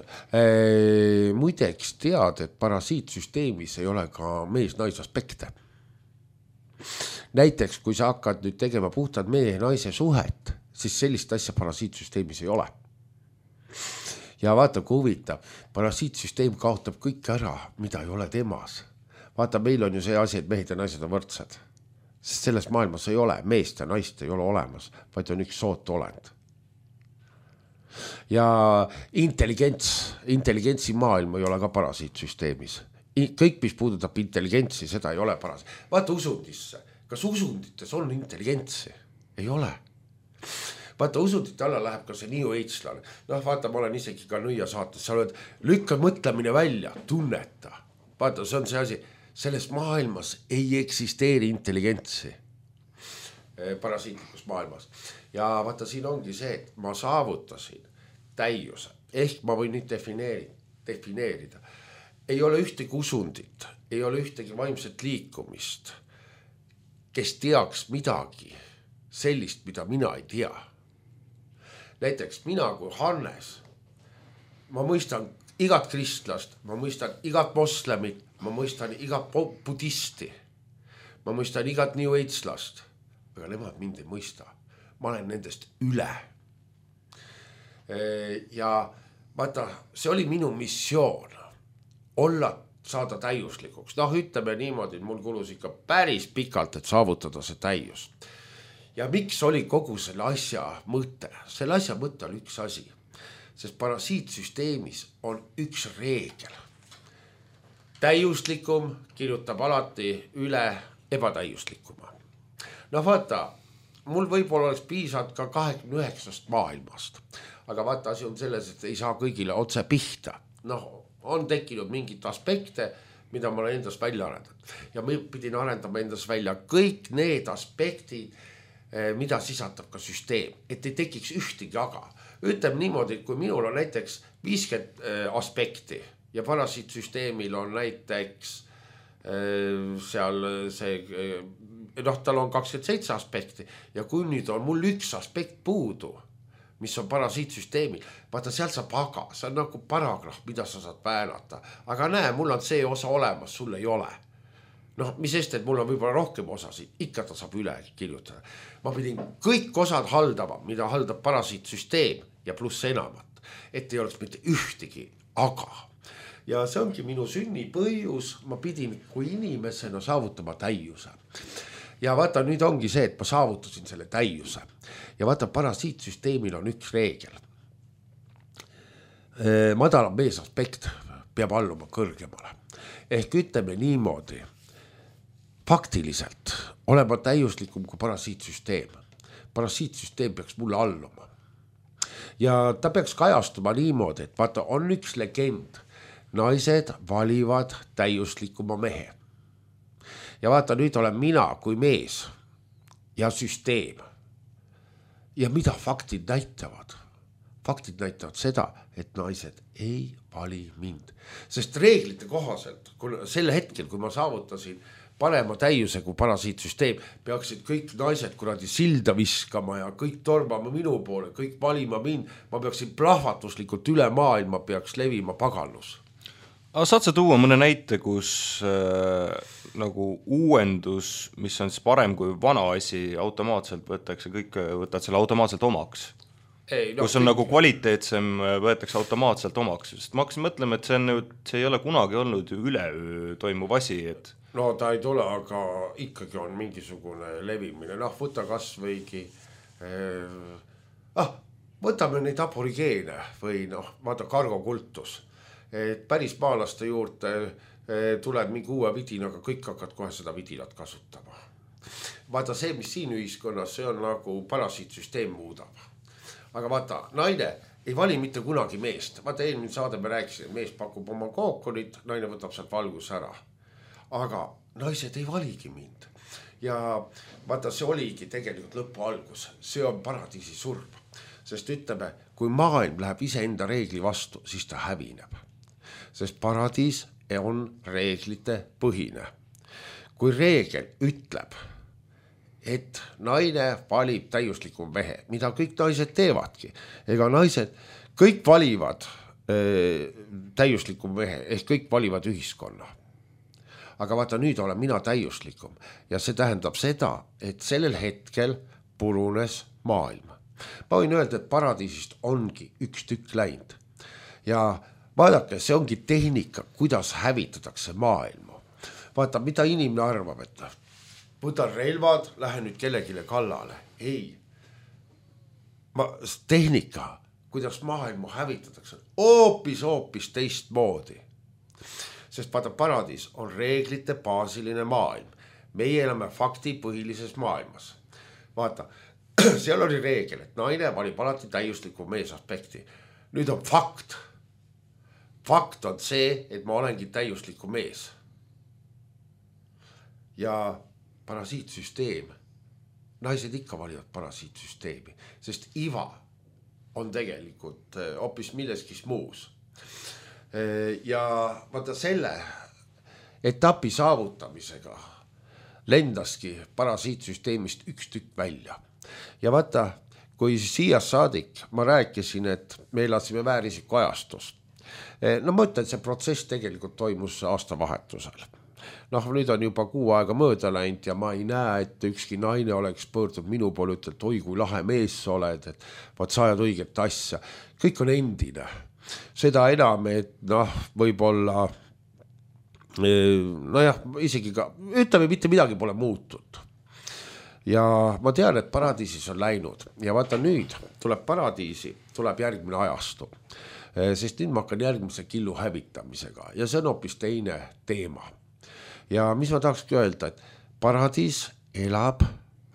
Muideks tead, et parasiitsüsteemis ei ole ka mees-naise aspekte. Näiteks, kui sa hakkad nüüd tegema puhtalt mehe ja naise suhet, siis sellist asja parasiitsüsteemis ei ole. Ja vaata, kui huvitav, parasiitsüsteem kaotab kõik ära, mida ei ole temas. Vaata, meil on ju see asi, et mehed ja naised on võrdsed. Sest selles maailmas ei ole, meest ja naist ei ole olemas, vaid on üks sootolend. Ja intelligentsi maailm ei ole ka parasiitsüsteemis. Kõik, mis puudutab intelligentsi, seda ei ole parasiit. Vaata usundisse. Kas usundites on intelligentsi? Ei ole. Vaata, usundite alla läheb ka see New Age-lane. Vaata, ma olen isegi ka nõia saates. Sa oled, lükka mõtlemine välja, tunneta. Vaata, see on see asi. Selles maailmas ei eksisteeri intelligentsi parasiitlikus maailmas. Ja vaata, siin ongi see, et ma saavutasin täiuse. Ehk ma võin nüüd defineerida. Ei ole ühtegi usundit, ei ole ühtegi vaimset liikumist, kes teaks midagi sellist, mida mina ei tea. Näiteks mina kui Hannes, ma mõistan igat kristlast, ma mõistan igat moslemit, ma mõistan igat budisti, ma mõistan igat New Age-last, aga nemad mind ei mõista. Ma olen nendest üle. Ja vaata, see oli minu missioon, saada täiuslikuks. Ütleme niimoodi, mul kulus ikka päris pikalt, et saavutada see täius. Ja miks oli kogu selle asja mõte? Selle asja mõte oli üks asi. Sest parasiitsüsteemis on üks reegel. Täiuslikum kirjutab alati üle ebatäiuslikuma. Vaata, mul võib-olla oleks piisanud ka 29 maailmast. Aga vaata, asi on selles, et ei saa kõigile otse pihta. On tekkinud mingid aspekte, mida ma olen endas välja arendanud. Ja ma pidin arendama endas välja kõik need aspektid, mida sisaldab ka süsteem. Et ei tekiks ühtegi aga. Ütleme niimoodi, kui minul on näiteks 50 aspekti ja parasiitsüsteemil on näiteks seal see, tal on 27 aspekti ja kui nüüd on mul üks aspekt puudu, mis on parasiitsüsteemil, vaata seal saab aga, see on nagu paragrahv, mida sa saad väänata, aga näe, mul on see osa olemas, sul ei ole. Mis eest, et mul on võib-olla rohkem osasid, ikka ta saab üle kirjutada. Ma pidin kõik osad haldama, mida haldab parasiitsüsteem ja pluss enamat, et ei oleks mitte ühtegi aga. Ja see ongi minu sünni põhjus, ma pidin kui inimesena saavutama täiuse. Ja vaata, nüüd ongi see, et ma saavutasin selle täiuse. Ja vaata, parasiitsüsteemil on üks reegel. Madalam meesaspekt peab alluma kõrgemale. Ehk ütleme niimoodi, faktiliselt olema täiuslikum kui parasiitsüsteem. Parasiitsüsteem peaks mulle alluma. Ja ta peaks kajastuma niimoodi, et vaata, on üks legend. Naised valivad täiuslikuma mehe. Ja vaata, nüüd olen mina kui mees ja süsteem. Ja mida faktid näitavad? Faktid näitavad seda, et naised ei vali mind. Sest reeglite kohaselt, selle hetkel, kui ma saavutasin parema täiuse kui parasiitsüsteem, peaksid kõik naised kuradi silda viskama ja kõik tormama minu poole, kõik valima mind, ma peaksin plahvatuslikult üle maailma peaks levima paganlus. Aga saad sa tuua mõne näite, kus nagu uuendus, mis on siis parem kui vana asi, automaatselt võetakse, kõik võtad selle automaatselt omaks? Kus on nagu kvaliteetsem, võetakse automaatselt omaks, sest ma hakkasin mõtlema, et see ei ole kunagi olnud ju üleöö toimuv asi, et no ta ei tule, aga ikkagi on mingisugune levimine, võta kas võigi võtame neid aborigeene või vaata kargokultus, et päris maalaste juurde tuleb mingi uue vidinaga, kõik hakkad kohe seda vidinat kasutama. Vaata see, mis siin ühiskonnas, see on nagu parasiitsüsteem muudab. Aga vaata, naine ei vali mitte kunagi meest. Vaata eelmine saade me rääkisime, mees pakub oma kookonit, naine võtab sealt valgus ära. Aga naised ei valigi mind. Ja vaata, see oligi tegelikult lõpu algus. See on paradiisi surm. Sest ütleme, kui maailm läheb iseenda reegli vastu, siis ta hävineb. Sest paradiis on reeglite põhine. Kui reegel ütleb, et naine valib täiusliku mehe, mida kõik naised teevadki. Ega naised, kõik valivad täiusliku mehe, ehk kõik valivad ühiskonna. Aga vaata, nüüd olen mina täiuslikum ja see tähendab seda, et sellel hetkel purunes maailm. Ma võin öelda, et paradiisist ongi üks tükk läinud. Ja vaadake, see ongi tehnika, kuidas hävitatakse maailma. Vaata, mida inimene arvab, et võtan relvad, lähen nüüd kellegile kallale. Ei. Tehnika, kuidas maailma hävitatakse, hoopis teistmoodi. Sest vaata, paradiis on reeglite baasiline maailm. Meie elame faktipõhilises maailmas. Vaata, seal oli reegel, et naine valib alati täiusliku mees aspekti. Nüüd on fakt. Fakt on see, et ma olengi täiusliku mees. Ja parasiitsüsteem, naised ikka valivad parasiitsüsteemi, sest iva on tegelikult hoopis milleskis muus. Ja vaata selle etapi saavutamisega lendaski parasiitsüsteemist üks tükk välja. Ja vaata, kui siia saadik ma rääkisin, et me elasime väärisiku ajastus. No ma ütlen, et see protsess tegelikult toimus aastavahetusel. Nüüd on juba 6 aega mööda läinud ja ma ei näe, et ükski naine oleks pöördunud minu poole, ütlelt, oi kui lahe mees sa oled, et vaat sa ajad õiget asja. Kõik on endine. Seda enam, et võib-olla isegi ka, ütleme, mitte midagi pole muutunud. Ja ma tean, et paradiisis on läinud ja vaata nüüd tuleb paradiisi, tuleb järgmine ajastu. Sest nüüd ma hakkan järgmise killu hävitamisega ja see on hoopis teine teema. Ja mis ma tahakski öelda, et paradiis elab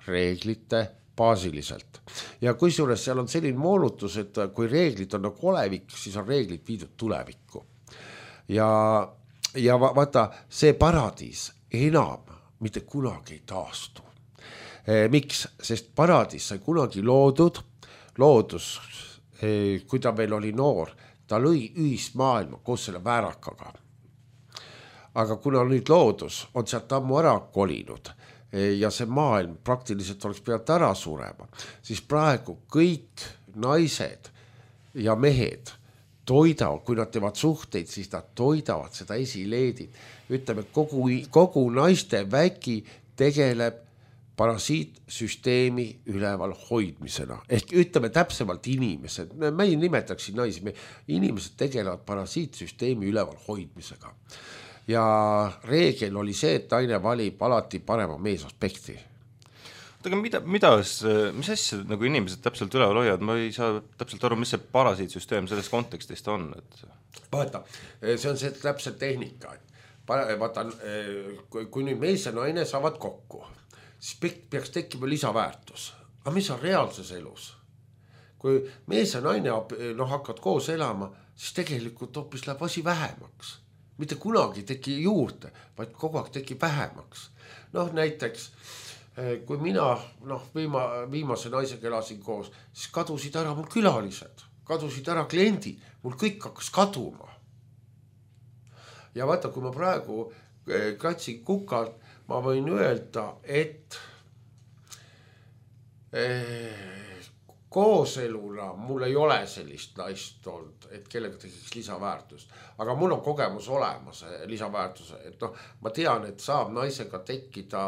reeglite baasiliselt. Ja kusjuures seal on selline moonutus, et kui reeglid on nagu olevik, siis on reeglid viidud tulevikku. Ja vaata, see paradiis enam mitte kunagi ei taastu. Miks? Sest paradiis sai kunagi loodud, loodus, kui ta veel oli noor, ta lõi ühist maailma koos selle väärakaga. Aga kuna nüüd loodus on sealt ammu ära kolinud ja see maailm praktiliselt oleks pealt ära surema, siis praegu kõik naised ja mehed toidavad, kui nad teevad suhteid, siis nad toidavad seda esileedit. Ütleme, kogu naiste vägi tegeleb parasiitsüsteemi üleval hoidmisena. Ehk ütleme täpsemalt inimesed, me ei nimetaks naisi, inimesed tegelevad parasiitsüsteemi üleval hoidmisega. Ja reegel oli see, et naine valib alati parema mees aspekti. Aga mis asja nagu inimesed täpselt üleval hoiavad? Ma ei saa täpselt aru, mis see parasiitsüsteem selles kontekstist on. Vaata, see on see täpselt tehnika. Vaata, kui nüüd mees ja naine saavad kokku, siis peaks tekkima lisaväärtus. Aga mis on reaalses elus? Kui mees ja naine hakkavad koos elama, siis tegelikult hoopis läheb asi vähemaks. Mitte kunagi teki juurde, vaid kogu aeg teki vähemaks. Näiteks, kui mina viimase naisega elasin koos, siis kadusid ära mul külalised, kadusid ära kliendid, mul kõik hakkas kaduma. Ja vaata, kui ma praegu kratsin kukalt, ma võin öelda, et kooseluna mul ei ole sellist naist olnud, et kellega tekiks lisaväärtust, aga mul on kogemus olemas lisaväärtuse, et noh, ma tean, et saab naisega tekkida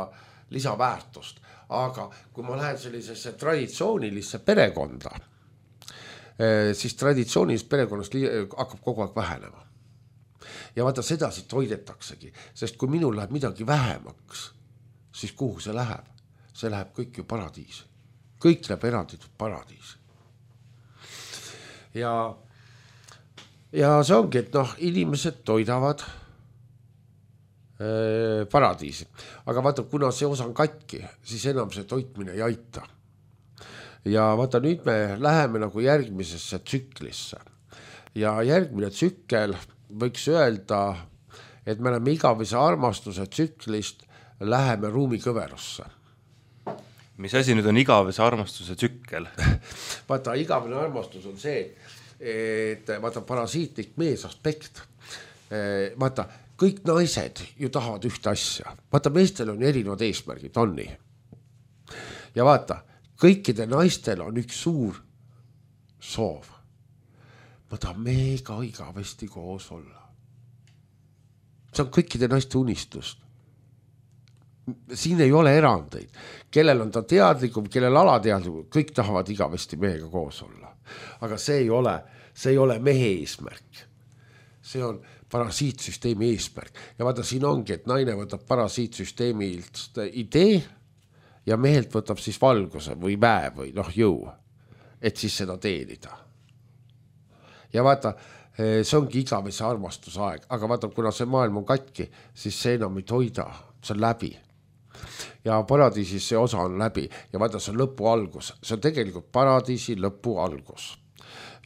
lisaväärtust, aga kui ma lähen sellisesse traditsioonilisse perekonda, siis traditsioonilist perekonnast hakkab kogu aeg vähenema. Ja vaata, seda siit hoidetaksegi, sest kui minul läheb midagi vähemaks, siis kuhu see läheb? See läheb kõik ju paradiisi. Kõik läheb eralditud paradiisi. Ja see ongi, et noh, inimesed toidavad paradiisi. Aga vaata, kuna see osa on katki, siis enam see toitmine ei aita. Ja vaata, nüüd me läheme nagu järgmisesse tsüklisse. Ja järgmine tsükkel võiks öelda, et me oleme igavese armastuse tsüklist, läheme ruumikõverusse. Mis asi nüüd on igavese armastuse tsükkel? Vaata, igavene armastus on see, et vaata, parasiitlik meesaspekt. Vaata, kõik naised ju tahavad ühte asja. Vaata, meestel on erinevad eesmärgid, on nii. Ja vaata, kõikide naistel on üks suur soov. Ma tahan meiega igavesti koos olla. See on kõikide naiste unistust. Siin ei ole erandeid, kellel on ta teadlikum, kellel alateadlikum, kõik tahavad igavesti mehega koos olla. Aga see ei ole mehe eesmärk. See on parasiitsüsteemi eesmärk. Ja vaata, siin ongi, et naine võtab parasiitsüsteemilt idee ja mehelt võtab siis valguse või väe või jõu, et siis seda teenida. Ja vaata, see ongi igavese armastusaeg, aga vaata, kuna see maailm on katki, siis see enam ei toida, see on läbi. Ja paradiisis see osa on läbi ja vaata, see on lõpu algus, see on tegelikult paradiisi lõpu algus.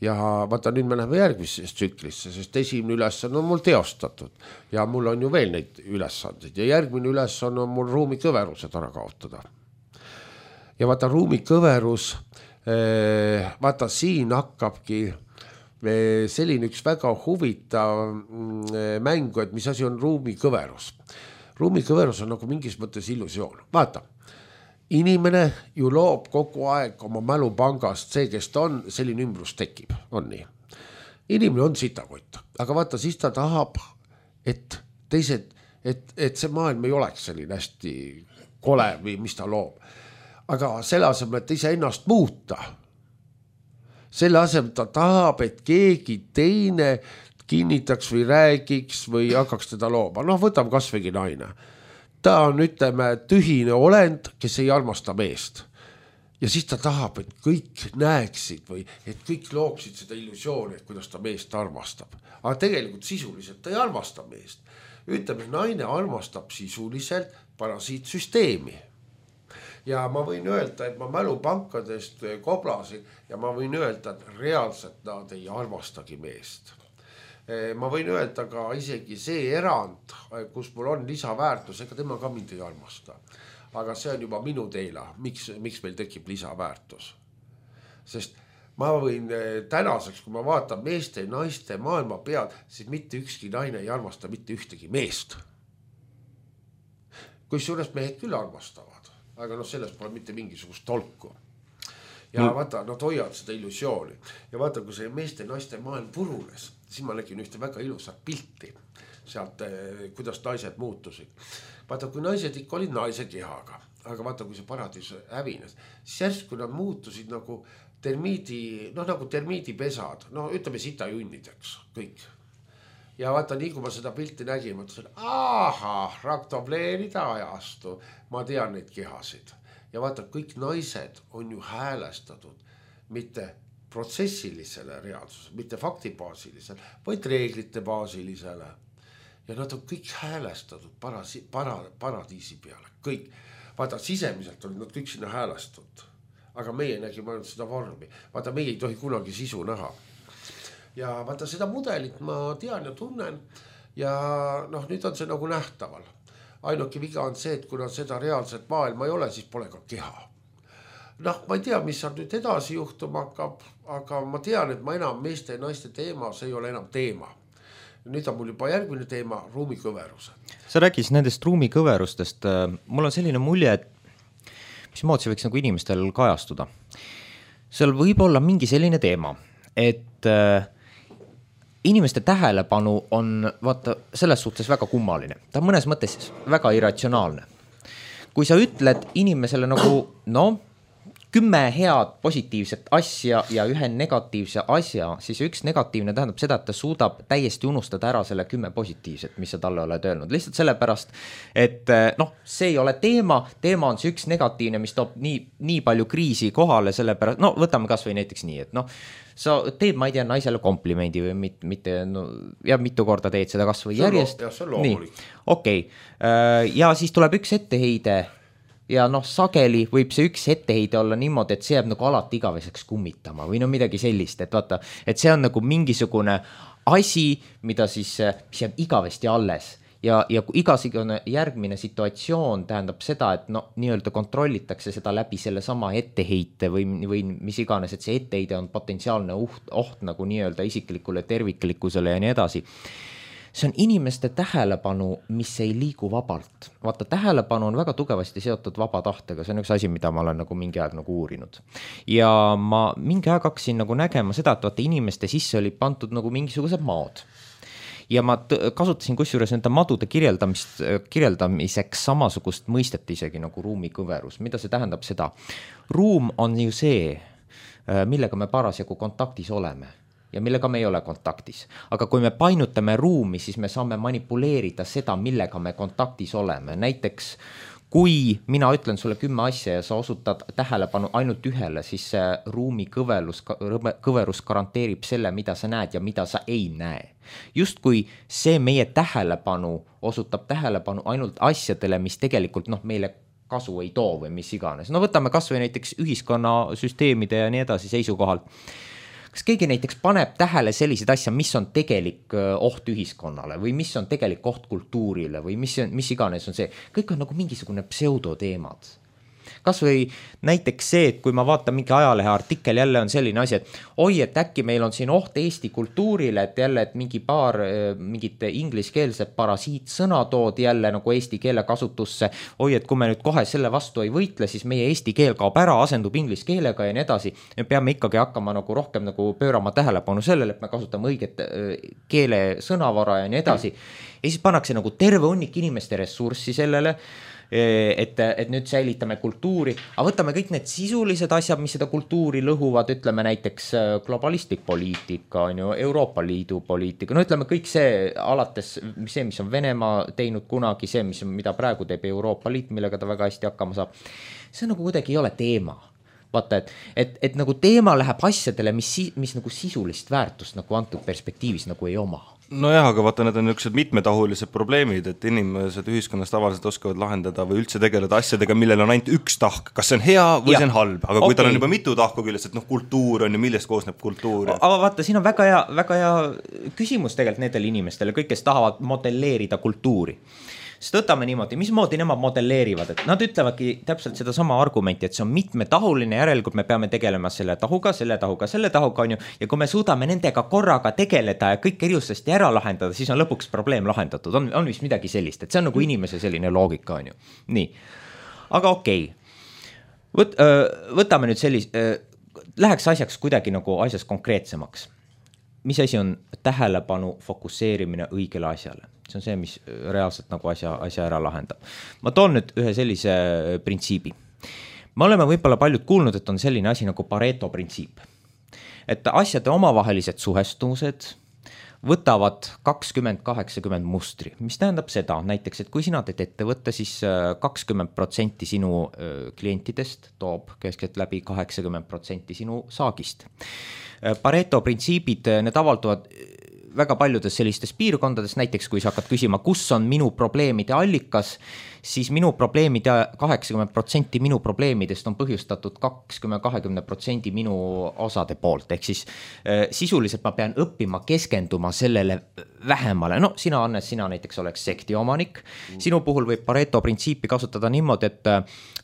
Ja vaata, nüüd me läheme järgmisesse tsüklisse, sest esimene ülesanne on mul teostatud ja mul on ju veel neid ülesandeid ja järgmine ülesanne on mul ruumikõverused ära kaotada. Ja vaata, ruumikõverus, vaata, siin hakkabki selline üks väga huvitav mängu, et mis asi on ruumikõverus. Ruumikõverus on nagu mingis mõttes illusioon. Vaata, inimene ju loob kogu aeg oma mälupangast see, kes ta on, selline ümbrus tekib, on nii. Inimene on sitakott, aga vaata, siis ta tahab, et teised, et see maailm ei oleks selline hästi kole või mis ta loob. Aga selle asemel, et ise ennast muuta, selle asemel ta tahab, et keegi teine kinnitaks või räägiks või hakkaks teda looma. Noh, võtab kasvõigi naine. Ta on, ütleme, tühine olend, kes ei armasta meest. Ja siis ta tahab, et kõik näeksid või et kõik looksid seda illusiooni, et kuidas ta meest armastab. Aga tegelikult sisuliselt ta ei armasta meest. Ütleme, naine armastab sisuliselt parasiitsüsteemi. Ja ma võin öelda, et ma mälupankadest koblasin ja ma võin öelda, et reaalselt nad ei armastagi meest. Ma võin öelda ka isegi see erand, kus mul on lisaväärtus, ega tema ka mind ei armasta. Aga see on juba minu teela, miks meil tekib lisaväärtus. Sest ma võin tänaseks, kui ma vaatan meeste ja naiste maailma peal, siis mitte ükski naine ei armasta mitte ühtegi meest. Kusjuures mehed küll armastavad, aga sellest pole mitte mingisugust tolku. Ja vaata, nad hoiavad seda illusiooni. Ja vaata, kui see meeste ja naiste maailm purunes, siis ma nägin ühte väga ilusat pilti sealt, kuidas naised muutusid. Vaata, kui naised ikka olid naise kehaga, aga vaata, kui see paradiis hävines, siis järsku nad muutusid nagu termiidipesad, ütleme sitajunnideks, kõik. Ja vaata, nii kui ma seda pilti nägin, mõtlesin, raktobleerida ajastu, ma tean neid kehasid. Ja vaata, kõik naised on ju häälestatud mitte protsessilisele reaalsusele, mitte faktibaasilisele, vaid reeglite baasilisele. Ja nad on kõik häälestatud paradiisi peale, kõik. Vaata, sisemiselt olid nad kõik sinna häälestatud, aga meie nägime ainult seda vormi. Vaata, meie ei tohi kunagi sisu näha. Ja vaata, seda mudelit ma tean ja tunnen ja nüüd on see nagu nähtaval. Ainuke viga on see, et kuna seda reaalset maailma ei ole, siis pole ka keha. Ma ei tea, mis on nüüd edasi juhtuma hakkab, aga ma tean, et ma enam meeste ja naiste teema, see ei ole enam teema. nüüd on mul juba järgmine teema, ruumikõverused. Sa räägis nendest ruumikõverustest, mul on selline mulje, et mismoodi see võiks nagu inimestel kajastuda. Seal võib olla mingi selline teema, et inimeste tähelepanu on vaata selles suhtes väga kummaline. Ta on mõnes mõttes väga irratsionaalne. Kui sa ütled inimesele nagu 10 head positiivset asja ja 1 negatiivse asja, siis üks negatiivne tähendab seda, et ta suudab täiesti unustada ära selle 10 positiivset, mis sa talle oled öelnud. Lihtsalt sellepärast, et see ei ole teema on see üks negatiivne, mis toob nii palju kriisi kohale, sellepärast, võtame kas või näiteks nii, et sa teed, ma ei tea, naisele komplimendi või mitte, ja mitu korda teed seda kas või järjest. See on loomulik. Okei. Ja siis tuleb üks etteheide ja sageli võib see üks etteheide olla niimoodi, et see jääb nagu alati igaveseks kummitama või midagi sellist, et vaata, et see on nagu mingisugune asi, mida siis, mis jääb igavesti alles ja igasugune järgmine situatsioon tähendab seda, et nii-öelda kontrollitakse seda läbi selle sama etteheite või mis iganes, et see etteheide on potentsiaalne oht nagu nii-öelda isiklikule terviklikkusele ja nii edasi. See on inimeste tähelepanu, mis ei liigu vabalt. Vaata, tähelepanu on väga tugevasti seotud vaba tahtega, see on üks asi, mida ma olen nagu mingi aeg nagu uurinud. Ja ma mingi aeg hakkasin nagu nägema seda, et vaata, inimeste sisse oli pandud nagu mingisugused maod. Ja ma kasutasin kusjuures nende madude kirjeldamiseks samasugust mõistet isegi nagu ruumikõverus. Mida see tähendab seda? Ruum on ju see, millega me parasjagu kontaktis oleme ja millega me ei ole kontaktis. Aga kui me painutame ruumi, siis me saame manipuleerida seda, millega me kontaktis oleme. Näiteks, kui mina ütlen sulle 10 asja ja sa osutad tähelepanu ainult ühele, siis see ruumi kõverus garanteerib selle, mida sa näed ja mida sa ei näe. Just kui see meie tähelepanu osutab tähelepanu ainult asjadele, mis tegelikult meile kasu ei too või mis iganes. Võtame kas või näiteks ühiskonnasüsteemide ja nii edasi seisukohalt. Kas keegi näiteks paneb tähele selliseid asja, mis on tegelik oht ühiskonnale või mis on tegelik oht kultuurile või mis iganes on see. Kõik on nagu mingisugune pseudoteemad. Kas või näiteks see, et kui ma vaatan mingi ajalehe artikkel, jälle on selline asi, et et äkki meil on siin oht Eesti kultuurile, et jälle, et mingi paar mingit ingliskeelsed parasiitsõna tood jälle nagu eesti keele kasutusse. Et kui me nüüd kohe selle vastu ei võitle, siis meie eesti keel kaob ära, asendub inglise keelega ja nii edasi. Me peame ikkagi hakkama nagu rohkem nagu pöörama tähelepanu sellele, et me kasutame õiget keele sõnavara ja nii edasi. Ja siis pannakse nagu terve hunnik inimeste ressurssi sellele, et nüüd säilitame kultuuri, aga võtame kõik need sisulised asjad, mis seda kultuuri lõhuvad, ütleme näiteks globalistlik poliitika, Euroopa Liidu poliitika, ütleme kõik see alates, see, mis on Venemaa teinud kunagi, see, mida praegu teeb Euroopa Liit, millega ta väga hästi hakkama saab, see nagu kuidagi ei ole teema. Vaata, et nagu teema läheb asjadele, mis nagu sisulist väärtust nagu antud perspektiivis nagu ei oma. Nojah, aga vaata, need on niisugused mitmetahulised probleemid, et inimesed ühiskonnas tavaliselt oskavad lahendada või üldse tegeleda asjadega, millel on ainult üks tahk, kas see on hea või see on halb, aga kui tal on juba mitu tahku küljest, et kultuur on ju, millest koosneb kultuur. Aga vaata, siin on väga hea küsimus tegelikult nendele inimestele, kõik, kes tahavad modelleerida kultuuri. Sest võtame niimoodi, mismoodi nemad modelleerivad, et nad ütlevadki täpselt seda sama argumenti, et see on mitmetahuline, järelikult me peame tegelema selle tahuga, on ju, ja kui me suudame nendega korraga tegeleda ja kõik eriustesti ära lahendada, siis on lõpuks probleem lahendatud, on vist midagi sellist, et see on nagu inimese selline loogika, on ju. Nii, aga okei. Võtame nüüd läheks asjaks kuidagi nagu asjas konkreetsemaks. Mis asi on tähelepanu fokusseerimine õigele asjale? See on see, mis reaalselt nagu asja ära lahendab. Ma toon nüüd ühe sellise printsiibi. Me oleme võib-olla paljud kuulnud, et on selline asi nagu Pareto printsiip. Et asjade omavahelised suhestumused võtavad 20-80 mustri, mis tähendab seda näiteks, et kui sina teed ettevõtte, siis 20% sinu klientidest toob keskelt läbi 80% sinu saagist. Pareto printsiibid, need avalduvad väga paljudes sellistes piirkondades, näiteks kui sa hakkad küsima, kus on minu probleemide allikas, siis minu probleemide 80% minu probleemidest on põhjustatud 20% minu osade poolt, ehk siis sisuliselt ma pean õppima keskenduma sellele vähemale, no sina, Hannes, sina näiteks oleks sekti omanik, sinu puhul võib Pareto printsiipi kasutada niimoodi, et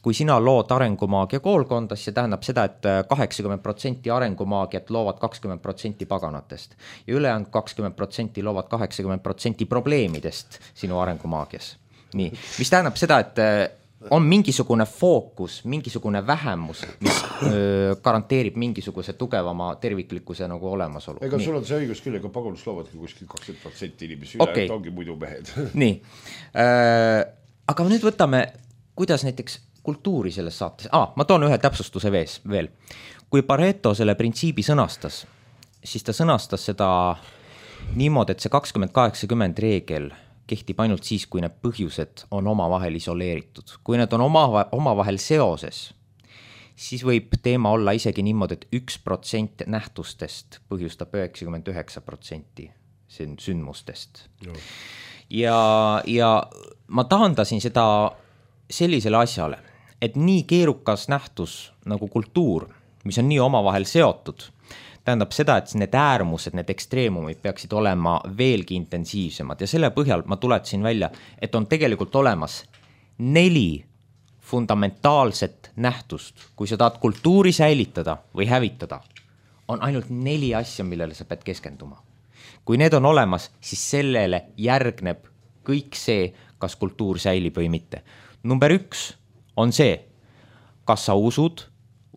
kui sina lood arengumaagia koolkonda, siis see tähendab seda, et 80% arengumaagiat loovad 20% paganatest ja ülejäänud 20% loovad 80% probleemidest sinu arengumaagias. Nii, mis tähendab seda, et on mingisugune fookus, mingisugune vähemus, mis garanteerib mingisuguse tugevama terviklikkuse nagu olemasolu. Ega sul on see õigus küll, ega pagunus loovadki kuskil 20% inimesi üle, et ongi muidu mehed. Nii, aga nüüd võtame, kuidas näiteks kultuuri selles saates, ma toon ühe täpsustuse veel. Kui Pareto selle printsiibi sõnastas, siis ta sõnastas seda niimoodi, et see 20-80 reegel kehtib ainult siis, kui need põhjused on omavahel isoleeritud. Kui need on omavahel seoses, siis võib teema olla isegi niimoodi, et 1% nähtustest põhjustab 99% sündmustest. Ja ma tahandasin seda sellisele asjale, et nii keerukas nähtus nagu kultuur, mis on nii omavahel seotud, tähendab seda, et need äärmused, need ekstreemumid peaksid olema veelgi intensiivsemad ja selle põhjal ma tuletasin välja, et on tegelikult olemas 4 fundamentaalset nähtust. Kui sa tahad kultuuri säilitada või hävitada, on ainult 4 asja, millele sa pead keskenduma. Kui need on olemas, siis sellele järgneb kõik see, kas kultuur säilib või mitte. Number 1 on see, kas sa usud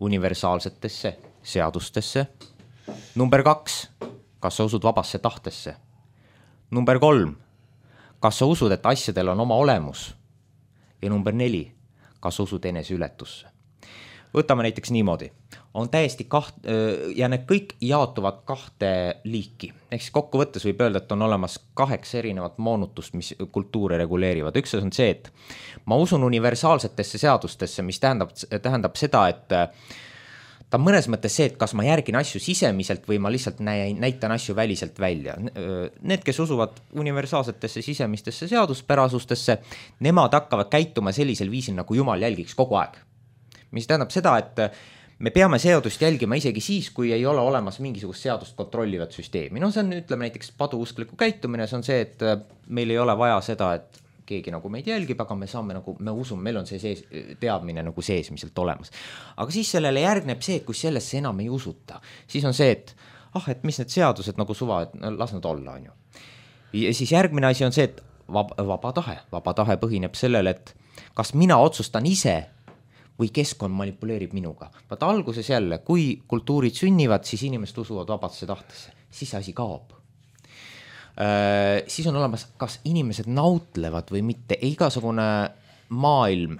universaalsetesse seadustesse. Number 2, kas sa usud vabasse tahtesse? Number 3, kas sa usud, et asjadel on oma olemus? Ja number 4, kas sa usud eneseületusse? Võtame näiteks niimoodi. On täiesti ja need kõik jaotuvad 2 liiki. Ehk siis kokkuvõttes võib öelda, et on olemas 8 erinevat moonutust, mis kultuure reguleerivad. Üks on see, et ma usun universaalsetesse seadustesse, mis tähendab seda, et ta on mõnes mõttes see, et kas ma järgin asju sisemiselt või ma lihtsalt näitan asju väliselt välja. Need, kes usuvad universaalsetesse sisemistesse seaduspärasustesse, nemad hakkavad käituma sellisel viisil, nagu Jumal jälgiks kogu aeg. Mis tähendab seda, et me peame seadust jälgima isegi siis, kui ei ole olemas mingisugust seadust kontrollivat süsteemi. No see on, ütleme näiteks paduuskliku käitumine, see on see, et meil ei ole vaja seda, et keegi nagu meid jälgib, aga me saame nagu, me usume, meil on see teadmine nagu seesmiselt olemas. Aga siis sellele järgneb see, et kui sellesse enam ei usuta, siis on see, et et mis need seadused nagu suva, et las nad olla, on ju. Ja siis järgmine asi on see, et vaba tahe põhineb sellele, et kas mina otsustan ise või keskkond manipuleerib minuga. Vaata alguses jälle, kui kultuurid sünnivad, siis inimesed usuvad vabasse tahtesse, siis asi kaob. Siis on olemas, kas inimesed nautlevad või mitte. Igasugune maailm,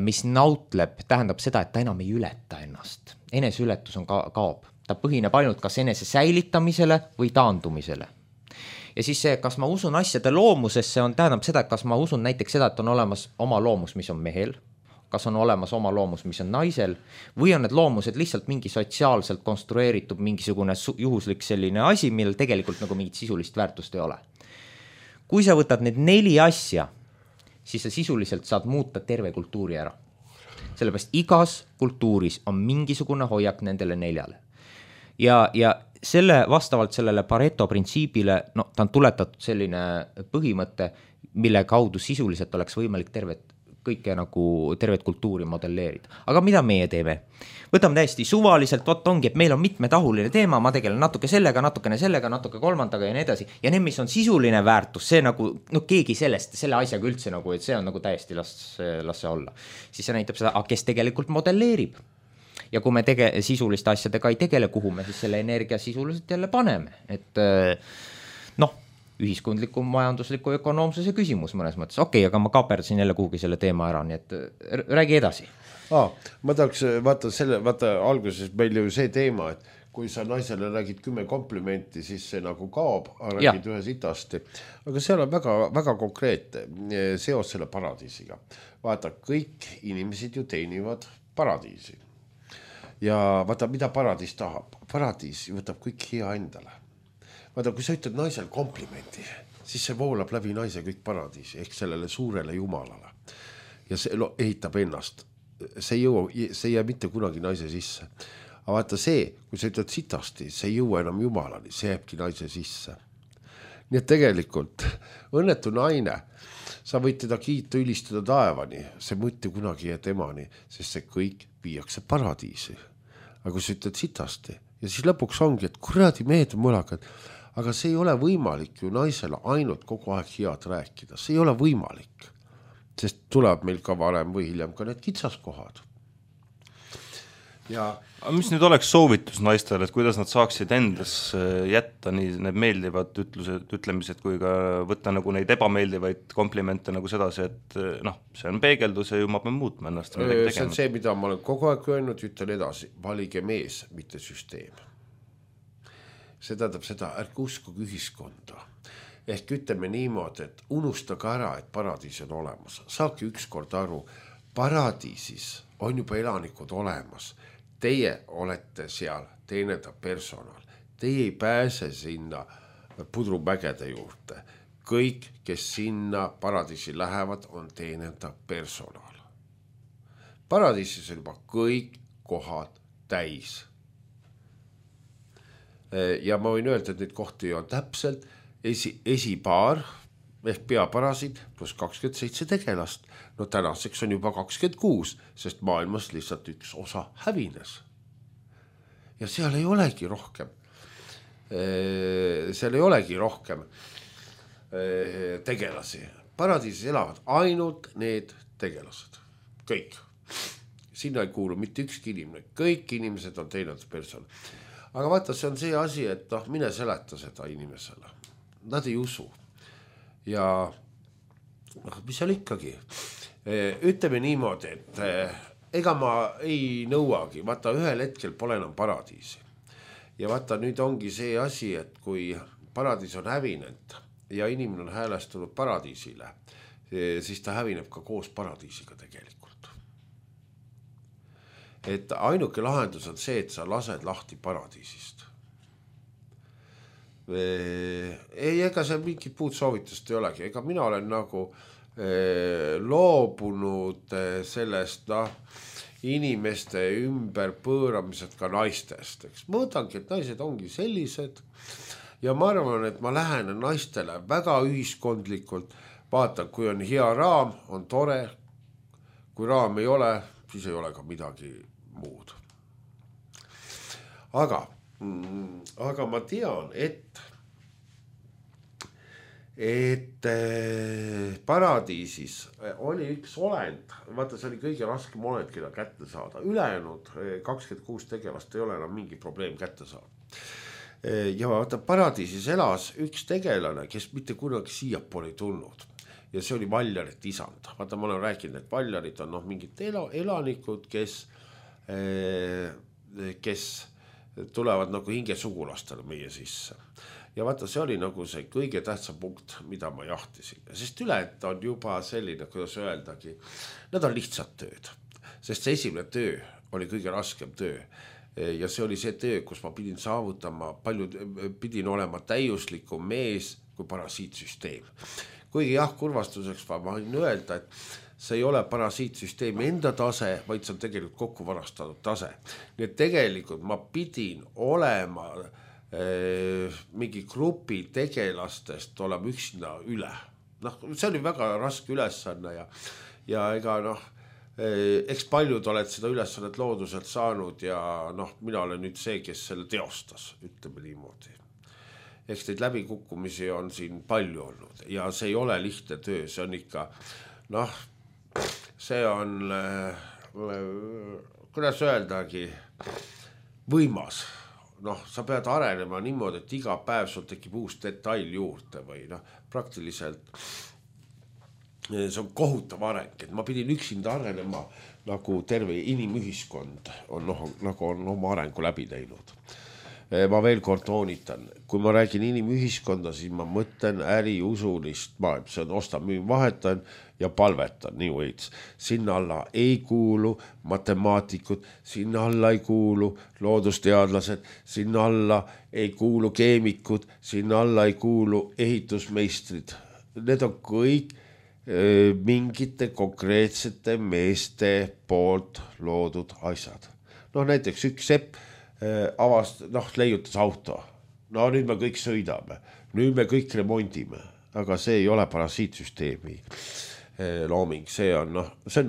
mis nautleb, tähendab seda, et ta enam ei ületa ennast. Eneseületus on kaob. Ta põhineb ainult kas enese säilitamisele või taandumisele. Ja siis see, kas ma usun asjade loomusesse, tähendab seda, et kas ma usun näiteks seda, et on olemas oma loomus, mis on mehel, kas on olemas oma loomus, mis on naisel, või on need loomused lihtsalt mingi sotsiaalselt konstrueeritud mingisugune juhuslik selline asi, millel tegelikult nagu mingit sisulist väärtust ei ole. Kui sa võtad need 4 asja, siis sa sisuliselt saad muuta terve kultuuri ära. Sellepärast igas kultuuris on mingisugune hoiak nendele 4. Ja selle vastavalt sellele Pareto printsiibile, ta on tuletatud selline põhimõte, mille kaudu sisuliselt oleks võimalik kõike nagu tervet kultuuri modelleerida. Aga mida meie teeme? Võtame täiesti suvaliselt, ongi, et meil on mitmetahuline teema, ma tegelen natuke sellega, natuke kolmandaga ja nii edasi. Ja need, mis on sisuline väärtus, see nagu, keegi selle asjaga üldse nagu, et see on nagu täiesti las see olla. Siis see näitab seda, kes tegelikult modelleerib. Ja kui me sisuliste asjadega ei tegele, kuhu me siis selle energia sisuliselt jälle paneme. Et ühiskondliku, majandusliku ökonoomsuse küsimus mõnes mõttes. Aga ma kaaperdasin jälle kuhugi selle teema ära, nii et räägi edasi. Ma tahaks, vaata alguses meil ju see teema, et kui sa naisele räägid 10 komplimenti, siis see nagu kaob, räägid ühe sitasti. Aga seal on väga, väga konkreetne seos selle paradiisiga. Vaata, kõik inimesed ju teenivad paradiisi. Ja vaata, mida paradiis tahab? Paradiis võtab kõik hea endale. Vaata, kui sa ütled naisel komplimenti, siis see voolab läbi naise kõik paradiisi ehk sellele suurele jumalale ja see ehitab ennast. See ei jää mitte kunagi naise sisse. Aga vaata see, kui sa ütled sitasti, see ei jõua enam jumalani, see jääbki naise sisse. Nii et tegelikult õnnetu naine, sa võid teda kiita, ülistada taevani, see mõtte kunagi jää temani, sest see kõik viiakse paradiisi. Aga kui sa ütled sitasti ja siis lõpuks ongi, et kuradi mehed on mõlakad, aga see ei ole võimalik ju naisele ainult kogu aeg head rääkida, see ei ole võimalik, sest tuleb meil ka varem või hiljem ka need kitsaskohad. Ja aga mis nüüd oleks soovitus naistele, et kuidas nad saaksid endas jätta nii need meeldivad ütlemised kui ka võtta nagu neid ebameeldivaid komplimente nagu sedasi, et see on peegeldus ja ju ma pean muutma ennast. See on see, mida ma olen kogu aeg öelnud, ütlen edasi, valige mees, mitte süsteem. See tähendab seda, ärge uskuge ühiskonda. Ehk ütleme niimoodi, et unustage ära, et paradiis on olemas. Saage ükskord aru, paradiisis on juba elanikud olemas. Teie olete seal teenenda personal. Teie ei pääse sinna pudrumägede juurde. Kõik, kes sinna paradiisi lähevad, on teenenda personal. Paradiisis on juba kõik kohad täis. Ja ma võin öelda, et neid kohti on täpselt esipaar ehk peaparasid pluss 27 tegelast. No tänaseks on juba 26, sest maailmas lihtsalt üks osa hävines. Ja seal ei olegi rohkem. Seal ei olegi rohkem tegelasi. Paradiisis elavad ainult need tegelased. Kõik. Sinna ei kuulu mitte ükski inimene. Kõik inimesed on teinud person. Aga vaata, see on see asi, et mine seleta seda inimesele. Nad ei usu. Ja mis seal ikkagi? Ütleme niimoodi, et ega ma ei nõuagi. Vaata, ühel hetkel pole enam paradiisi. Ja vaata, nüüd ongi see asi, et kui paradiis on hävinenud ja inimene on häälestunud paradiisile, siis ta hävineb ka koos paradiisiga tegelikult. Et ainuke lahendus on see, et sa lased lahti paradiisist. Ei, ega see mingit puud soovitust ei olegi. Ega mina olen nagu loobunud sellest inimeste ümber pööramised ka naistest. Ma võtangi, et naised ongi sellised ja ma arvan, et ma lähenen naistele väga ühiskondlikult. Vaatan, kui on hea raam, on tore. Kui raam ei ole, siis ei ole ka midagi muud. Aga ma tean, et paradiisis oli üks olend, vaata see oli kõige raskem olend, keda kätte saada. Ülejäänud 26 tegelast ei ole enam mingi probleem kätte saada. Ja vaata, paradiisis elas üks tegelane, kes mitte kunagi siia pole tulnud. Ja see oli Valjarit isand. Vaata, ma olen rääkinud, et Valjarid on mingid elanikud, kes tulevad nagu hingesugulastele meie sisse. Ja vaata, see oli nagu see kõige tähtsam punkt, mida ma jahtisin. Sest ülejäänud on juba selline, kuidas öeldagi, nad on lihtsad tööd. Sest see esimene töö oli kõige raskem töö. Ja see oli see töö, kus ma pidin saavutama, pidin olema täiuslikum mees kui parasiitsüsteem. Kuigi jah, kurvastuseks ma võin öelda, et see ei ole parasiitsüsteemi enda tase, vaid see on tegelikult kokku varastatud tase. Nii et tegelikult ma pidin olema mingi grupi tegelastest olema üksinda üle. See oli väga raske ülesanne ja ega eks paljud oled seda ülesannet looduselt saanud ja mina olen nüüd see, kes selle teostas, ütleme niimoodi. Eks neid läbikukkumisi on siin palju olnud ja see ei ole lihtne töö, see on ikka, see on, kuidas öeldagi, võimas. Sa pead arenema niimoodi, et iga päev sul tekib uus detail juurde või praktiliselt see on kohutav areng, et ma pidin üksinda arenema nagu terve inimühiskond on, nagu on oma arengu läbi teinud. ma veel kord toonitan, kui ma räägin inimühiskonda, siis ma mõtlen äriusulist maailm, see on ostan, müün, vahetan ja palvetan, nii võiks. Sinna alla ei kuulu matemaatikud, sinna alla ei kuulu loodusteadlased, sinna alla ei kuulu keemikud, sinna alla ei kuulu ehitusmeistrid. Need on kõik mingite konkreetsete meeste poolt loodud asjad. Näiteks üks sepp leiutas auto. Nüüd me kõik sõidame, nüüd me kõik remondime, aga see ei ole parasiitsüsteemi looming, see on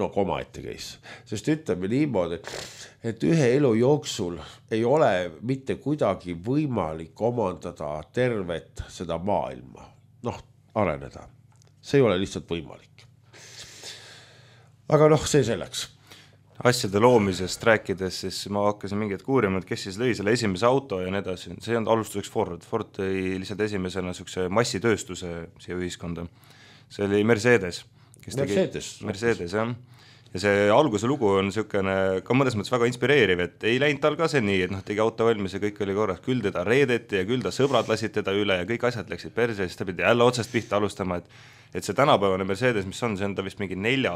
omaette case. Sest ütleme niimoodi, et ühe elu jooksul ei ole mitte kuidagi võimalik omandada tervet seda maailma, areneda. See ei ole lihtsalt võimalik. Aga see selleks. Asjade loomisest rääkides, siis ma hakkasin mingit kuurima, et kes siis lõi selle esimese auto ja nii edasi. See on alustuseks Ford. Ford tõi lihtsalt esimesena sükse massitööstuse siia ühiskonda. See oli Mercedes. Mercedes, jah. Ja see alguse lugu on sükene ka mõnes mõttes väga inspireeriv, et ei läinud tal ka see nii, et tegi auto valmis ja kõik oli korras. Küll teda reedeti ja küll ta sõbrad lasid teda üle ja kõik asjad läksid perse ja siis ta pidi jälle otsast pihta alustama, et see tänapäevane Mercedes, mis on, see on ta vist mingi 4.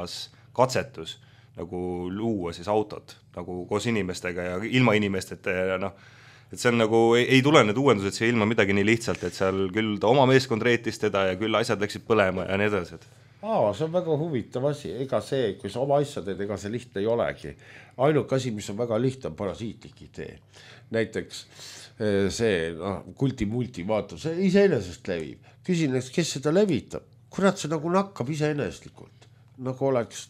katsetus nagu luua siis autot nagu koos inimestega ja ilma inimesteta ja et see on nagu, ei tule need uuendused siia ilma midagi nii lihtsalt, et seal küll ta oma meeskond reetis teda ja küll asjad läksid põlema ja nii edasi. See on väga huvitav asi, ega see, kui sa oma asja teed, ega see lihtne ei olegi. Ainuke asi, mis on väga lihtne, on parasiitlik idee. Näiteks see kulti-multi vaatab, see iseenesest levib. Küsin, kes seda levitab? Kurat, see nagu nakkab iseeneslikult, nagu oleks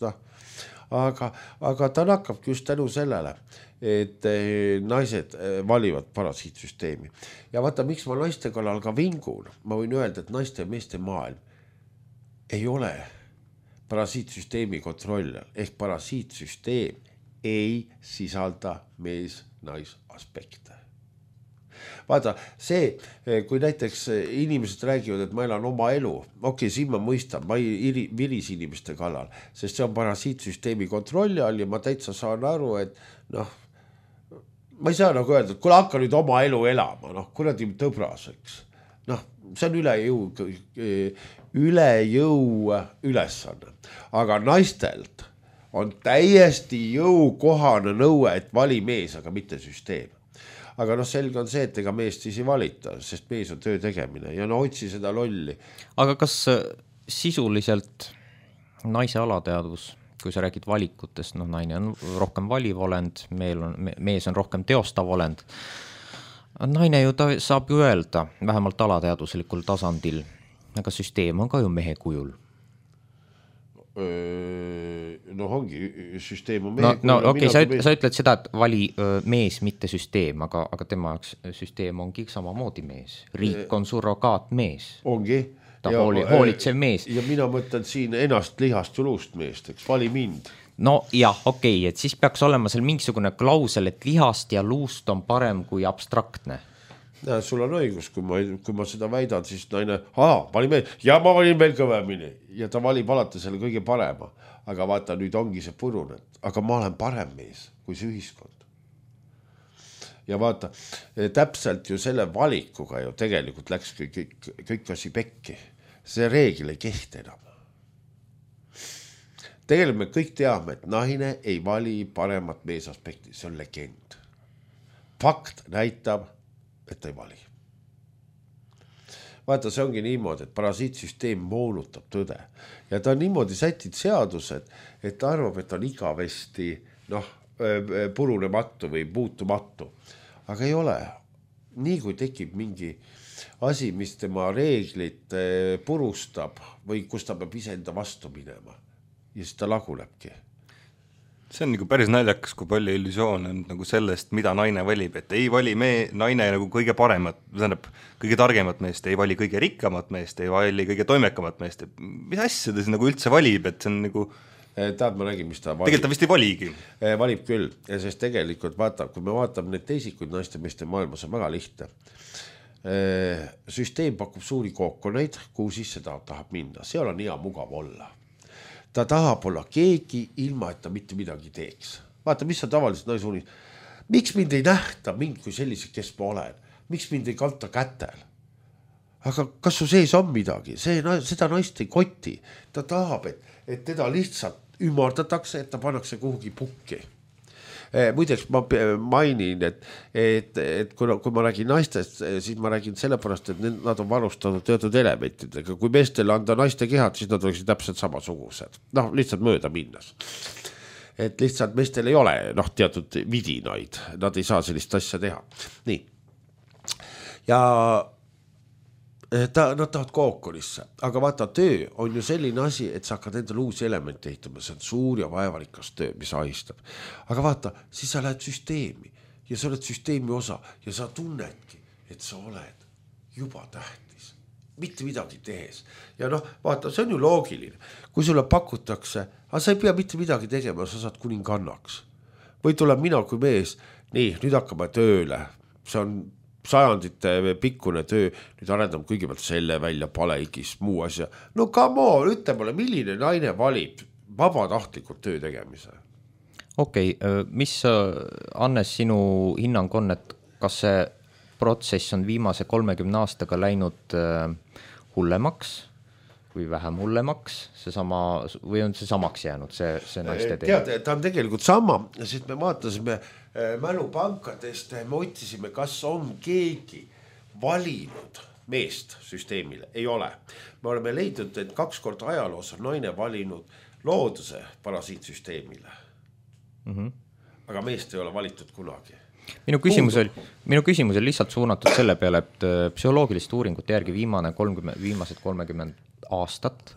aga ta nakkabki just tänu sellele, et naised valivad parasiitsüsteemi. Ja vaata, miks ma naiste kallal ka vingun, ma võin öelda, et naiste ja meeste maailm ei ole parasiitsüsteemi kontroll, ehk parasiitsüsteem ei sisalda mees-nais aspekte. Vaata, see, kui näiteks inimesed räägivad, et ma elan oma elu, siin ma mõistan, ma ei viris inimeste kallal, sest see on parasiitsüsteemi kontrolli all ja ma täitsa saan aru, et ma ei saa nagu öelda, et kuule, hakka nüüd oma elu elama, kuradi tõbraseks. See on üle jõu ülesanne, aga naistelt on täiesti jõukohane nõue, et vali mees, aga mitte süsteem. Aga selge on see, et ega meest siis ei valita, sest mees on töö tegemine ja otsi seda lolli. Aga kas sisuliselt naise alateadvus, kui sa räägid valikutest, naine on rohkem valiv olend, mees on rohkem teostav olend. Naine ju ta saab ju öelda, vähemalt alateadvuslikul tasandil, aga süsteem on ka ju mehe kujul. Ongi, süsteem on mehe kujul. Okei, sa ütled seda, et vali mees, mitte süsteem, aga tema jaoks süsteem ongi samamoodi mees. Riik on surrogaatmees. Ongi. Ta hoolitsev mees. Ja mina mõtlen siin ennast lihast ja luust meest, eks, vali mind. Okei, et siis peaks olema seal mingisugune klausel, et lihast ja luust on parem kui abstraktne. Sul on õigus, kui ma seda väidan, siis naine, vali mees, ja ma valin veel kõvemini ja ta valib alati selle kõige parema, aga vaata, nüüd ongi see purunud, aga ma olen parem mees kui see ühiskond. Ja vaata, täpselt ju selle valikuga ju tegelikult läks kõik asi pekki, see reegel ei kehti enam. Tegelikult me kõik teame, et naine ei vali paremat meesaspekti, see on legend. Fakt näitab, et ta ei vali. Vaata, see ongi niimoodi, et parasiitsüsteem moonutab tõde ja ta on niimoodi sätid seadused, et ta arvab, et on igavesti purunematu või muutumatu, aga ei ole. Nii kui tekib mingi asi, mis tema reeglit purustab või kus ta peab iseenda vastu minema ja siis ta lagunebki. See on nagu päris naljakas, kui palju illusioon on nagu sellest, mida naine valib, et ei vali naine nagu kõige paremat, kõige targemat meest, ei vali kõige rikkamat meest, ei vali kõige toimekamat meest. Mis asja ta siis nagu üldse valib, et see on nagu... Tahad ma nägin, mis ta valib. Tegelikult ta vist ei valigi. Valib küll, sest tegelikult vaata, kui me vaatame need teisikuid naiste meeste maailmas, on väga lihtne. Süsteem pakub suuri kookoneid, kuhu sisse ta tahab minna. Seal on hea mugav olla. Ta tahab olla keegi ilma, et ta mitte midagi teeks. Vaata, mis on tavaliselt naisuunis. Miks mind ei nähta mind kui sellise, kes ma olen? miks mind ei kanta kätel? Aga kas su sees on midagi? Seda naist ei koti. Ta tahab, et teda lihtsalt ümardatakse, et ta pannakse kuhugi pukki. Muideks ma mainin, et kui ma räägin naistest, siis ma räägin sellepärast, et nad on varustanud teatud elementidega. Kui meestele anda naiste kehad, siis nad oleksid täpselt samasugused. Lihtsalt mööda minnes. Et lihtsalt meestel ei ole teatud vidinaid. Nad ei saa sellist asja teha. Nii. Ja nad tahavad kookonisse, aga vaata, töö on ju selline asi, et sa hakkad endale uusi elemente ehitama, see on suur ja vaevalikas töö, mis ahistab. Aga vaata, siis sa lähed süsteemi ja sa oled süsteemi osa ja sa tunnedki, et sa oled juba tähtis, mitte midagi tehes. Ja vaata, see on ju loogiline, kui sulle pakutakse, aga sa ei pea mitte midagi tegema, sa saad kuningannaks. Või tuleb mina kui mees, nii, nüüd hakkame tööle, see on sajandite pikkune töö, nüüd arendame kõigepealt selle välja paleigis, muu asja. No come on, ütle mulle, milline naine valib vabatahtlikult töö tegemise? Okei, mis, Annes, sinu hinnang on, et kas see protsess on viimase 30 aastaga läinud hullemaks või vähem hullemaks, või on see samaks jäänud, see naiste tee? Tead, ta on tegelikult sama, sest me vaatasime mälupankadest, me otsisime, kas on keegi valinud meest süsteemile. Ei ole. Me oleme leidnud, et 2 korda ajaloos on naine valinud looduse parasiitsüsteemile. Aga meest ei ole valitud kunagi. Minu küsimus oli lihtsalt suunatud selle peale, et psühholoogiliste uuringute järgi viimased 30 aastat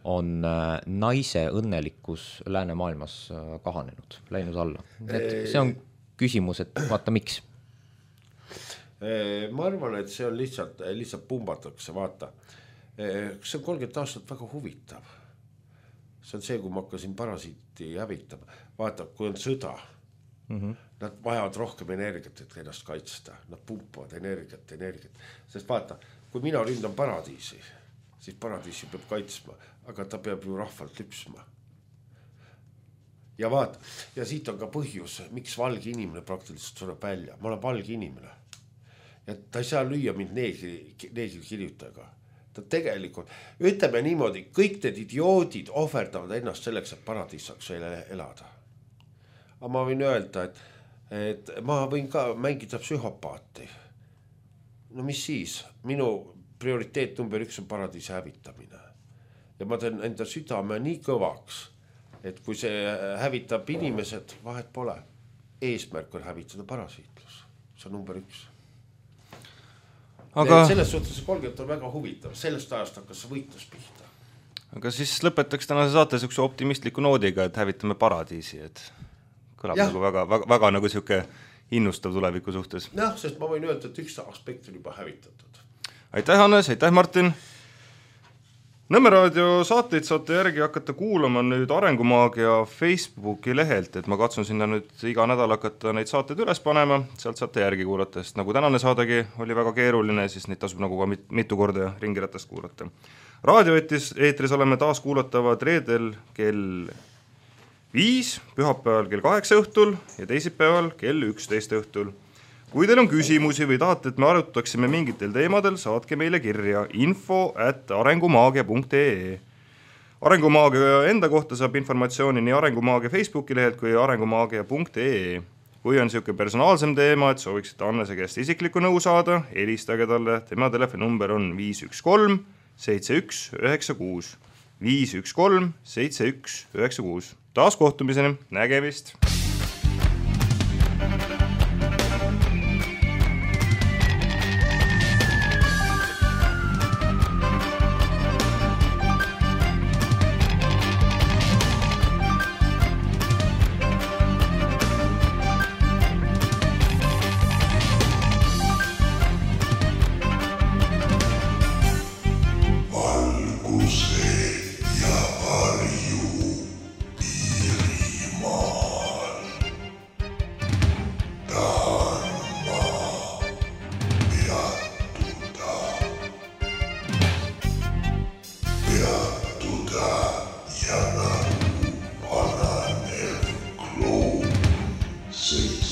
on naise õnnelikkus läänemaailmas kahanenud, läinud alla. Et see on küsimus, et vaata, miks? Ma arvan, et see on lihtsalt pumbatakse, vaata. See on 30 aastat väga huvitav. See on see, kui ma hakkasin parasiiti hävitama. Vaata, kui on sõda, nad vajavad rohkem energiat, et ennast kaitsta. Nad pumpavad energiat. Sest vaata, kui mina ründan paradiisi, siis paradiisi peab kaitsma, aga ta peab ju rahvalt lüpsma. Ja vaata, ja siit on ka põhjus, miks valge inimene praktiliselt sureb välja. Ma olen valge inimene. Ja ta ei saa lüüa mind neegilkirjutajaga. Ta tegelikult, ütleme niimoodi, kõik need idioodid ohverdavad ennast selleks, et paradiis saaks elada. Aga ma võin öelda, et ma võin ka mängida psühhopaati. No mis siis? Minu prioriteet number 1 on paradiisi hävitamine. Ja ma teen enda südame nii kõvaks, et kui see hävitab inimesed, vahet pole. Eesmärk on hävitada parasiitlus. See on number 1. Aga selles suhtes 30 on väga huvitav. Sellest ajast hakkas see võitlus pihta. Aga siis lõpetaks tänase saate sükse optimistliku noodiga, et hävitame paradiisi. Et kõlab nagu väga nagu siuke innustav tuleviku suhtes. Sest ma võin öelda, et üks aspekt on juba hävitatud. Aitäh, Hannes, aitäh, Martin! Nõmme raadio saateid saate järgi hakata kuulama nüüd Arengumaagia Facebooki lehelt, et ma katsun sinna nüüd iga nädal hakata neid saateid üles panema, sealt saate järgi kuulata, sest nagu tänane saadegi oli väga keeruline, siis neid tasub nagu ka mitu korda ringiratast kuulata. Raadioeetris oleme taas kuulatavad reedel kell 5, pühapäeval kell 8 õhtul ja teisipäeval kell 11 õhtul. Kui teil on küsimusi või tahate, et me arutaksime mingitel teemadel, saatke meile kirja info@arengumaagia.ee. Arengumaagia enda kohta saab informatsiooni nii Arengumaagia Facebooki lehelt kui arengumaagia.ee. Kui on siuke personaalsem teema, et sooviksite Annese käest isiklikku nõu saada, helistage talle, tema telefoninumber on 513 7196. 513 7196. Taas kohtumiseni, nägemist! Six.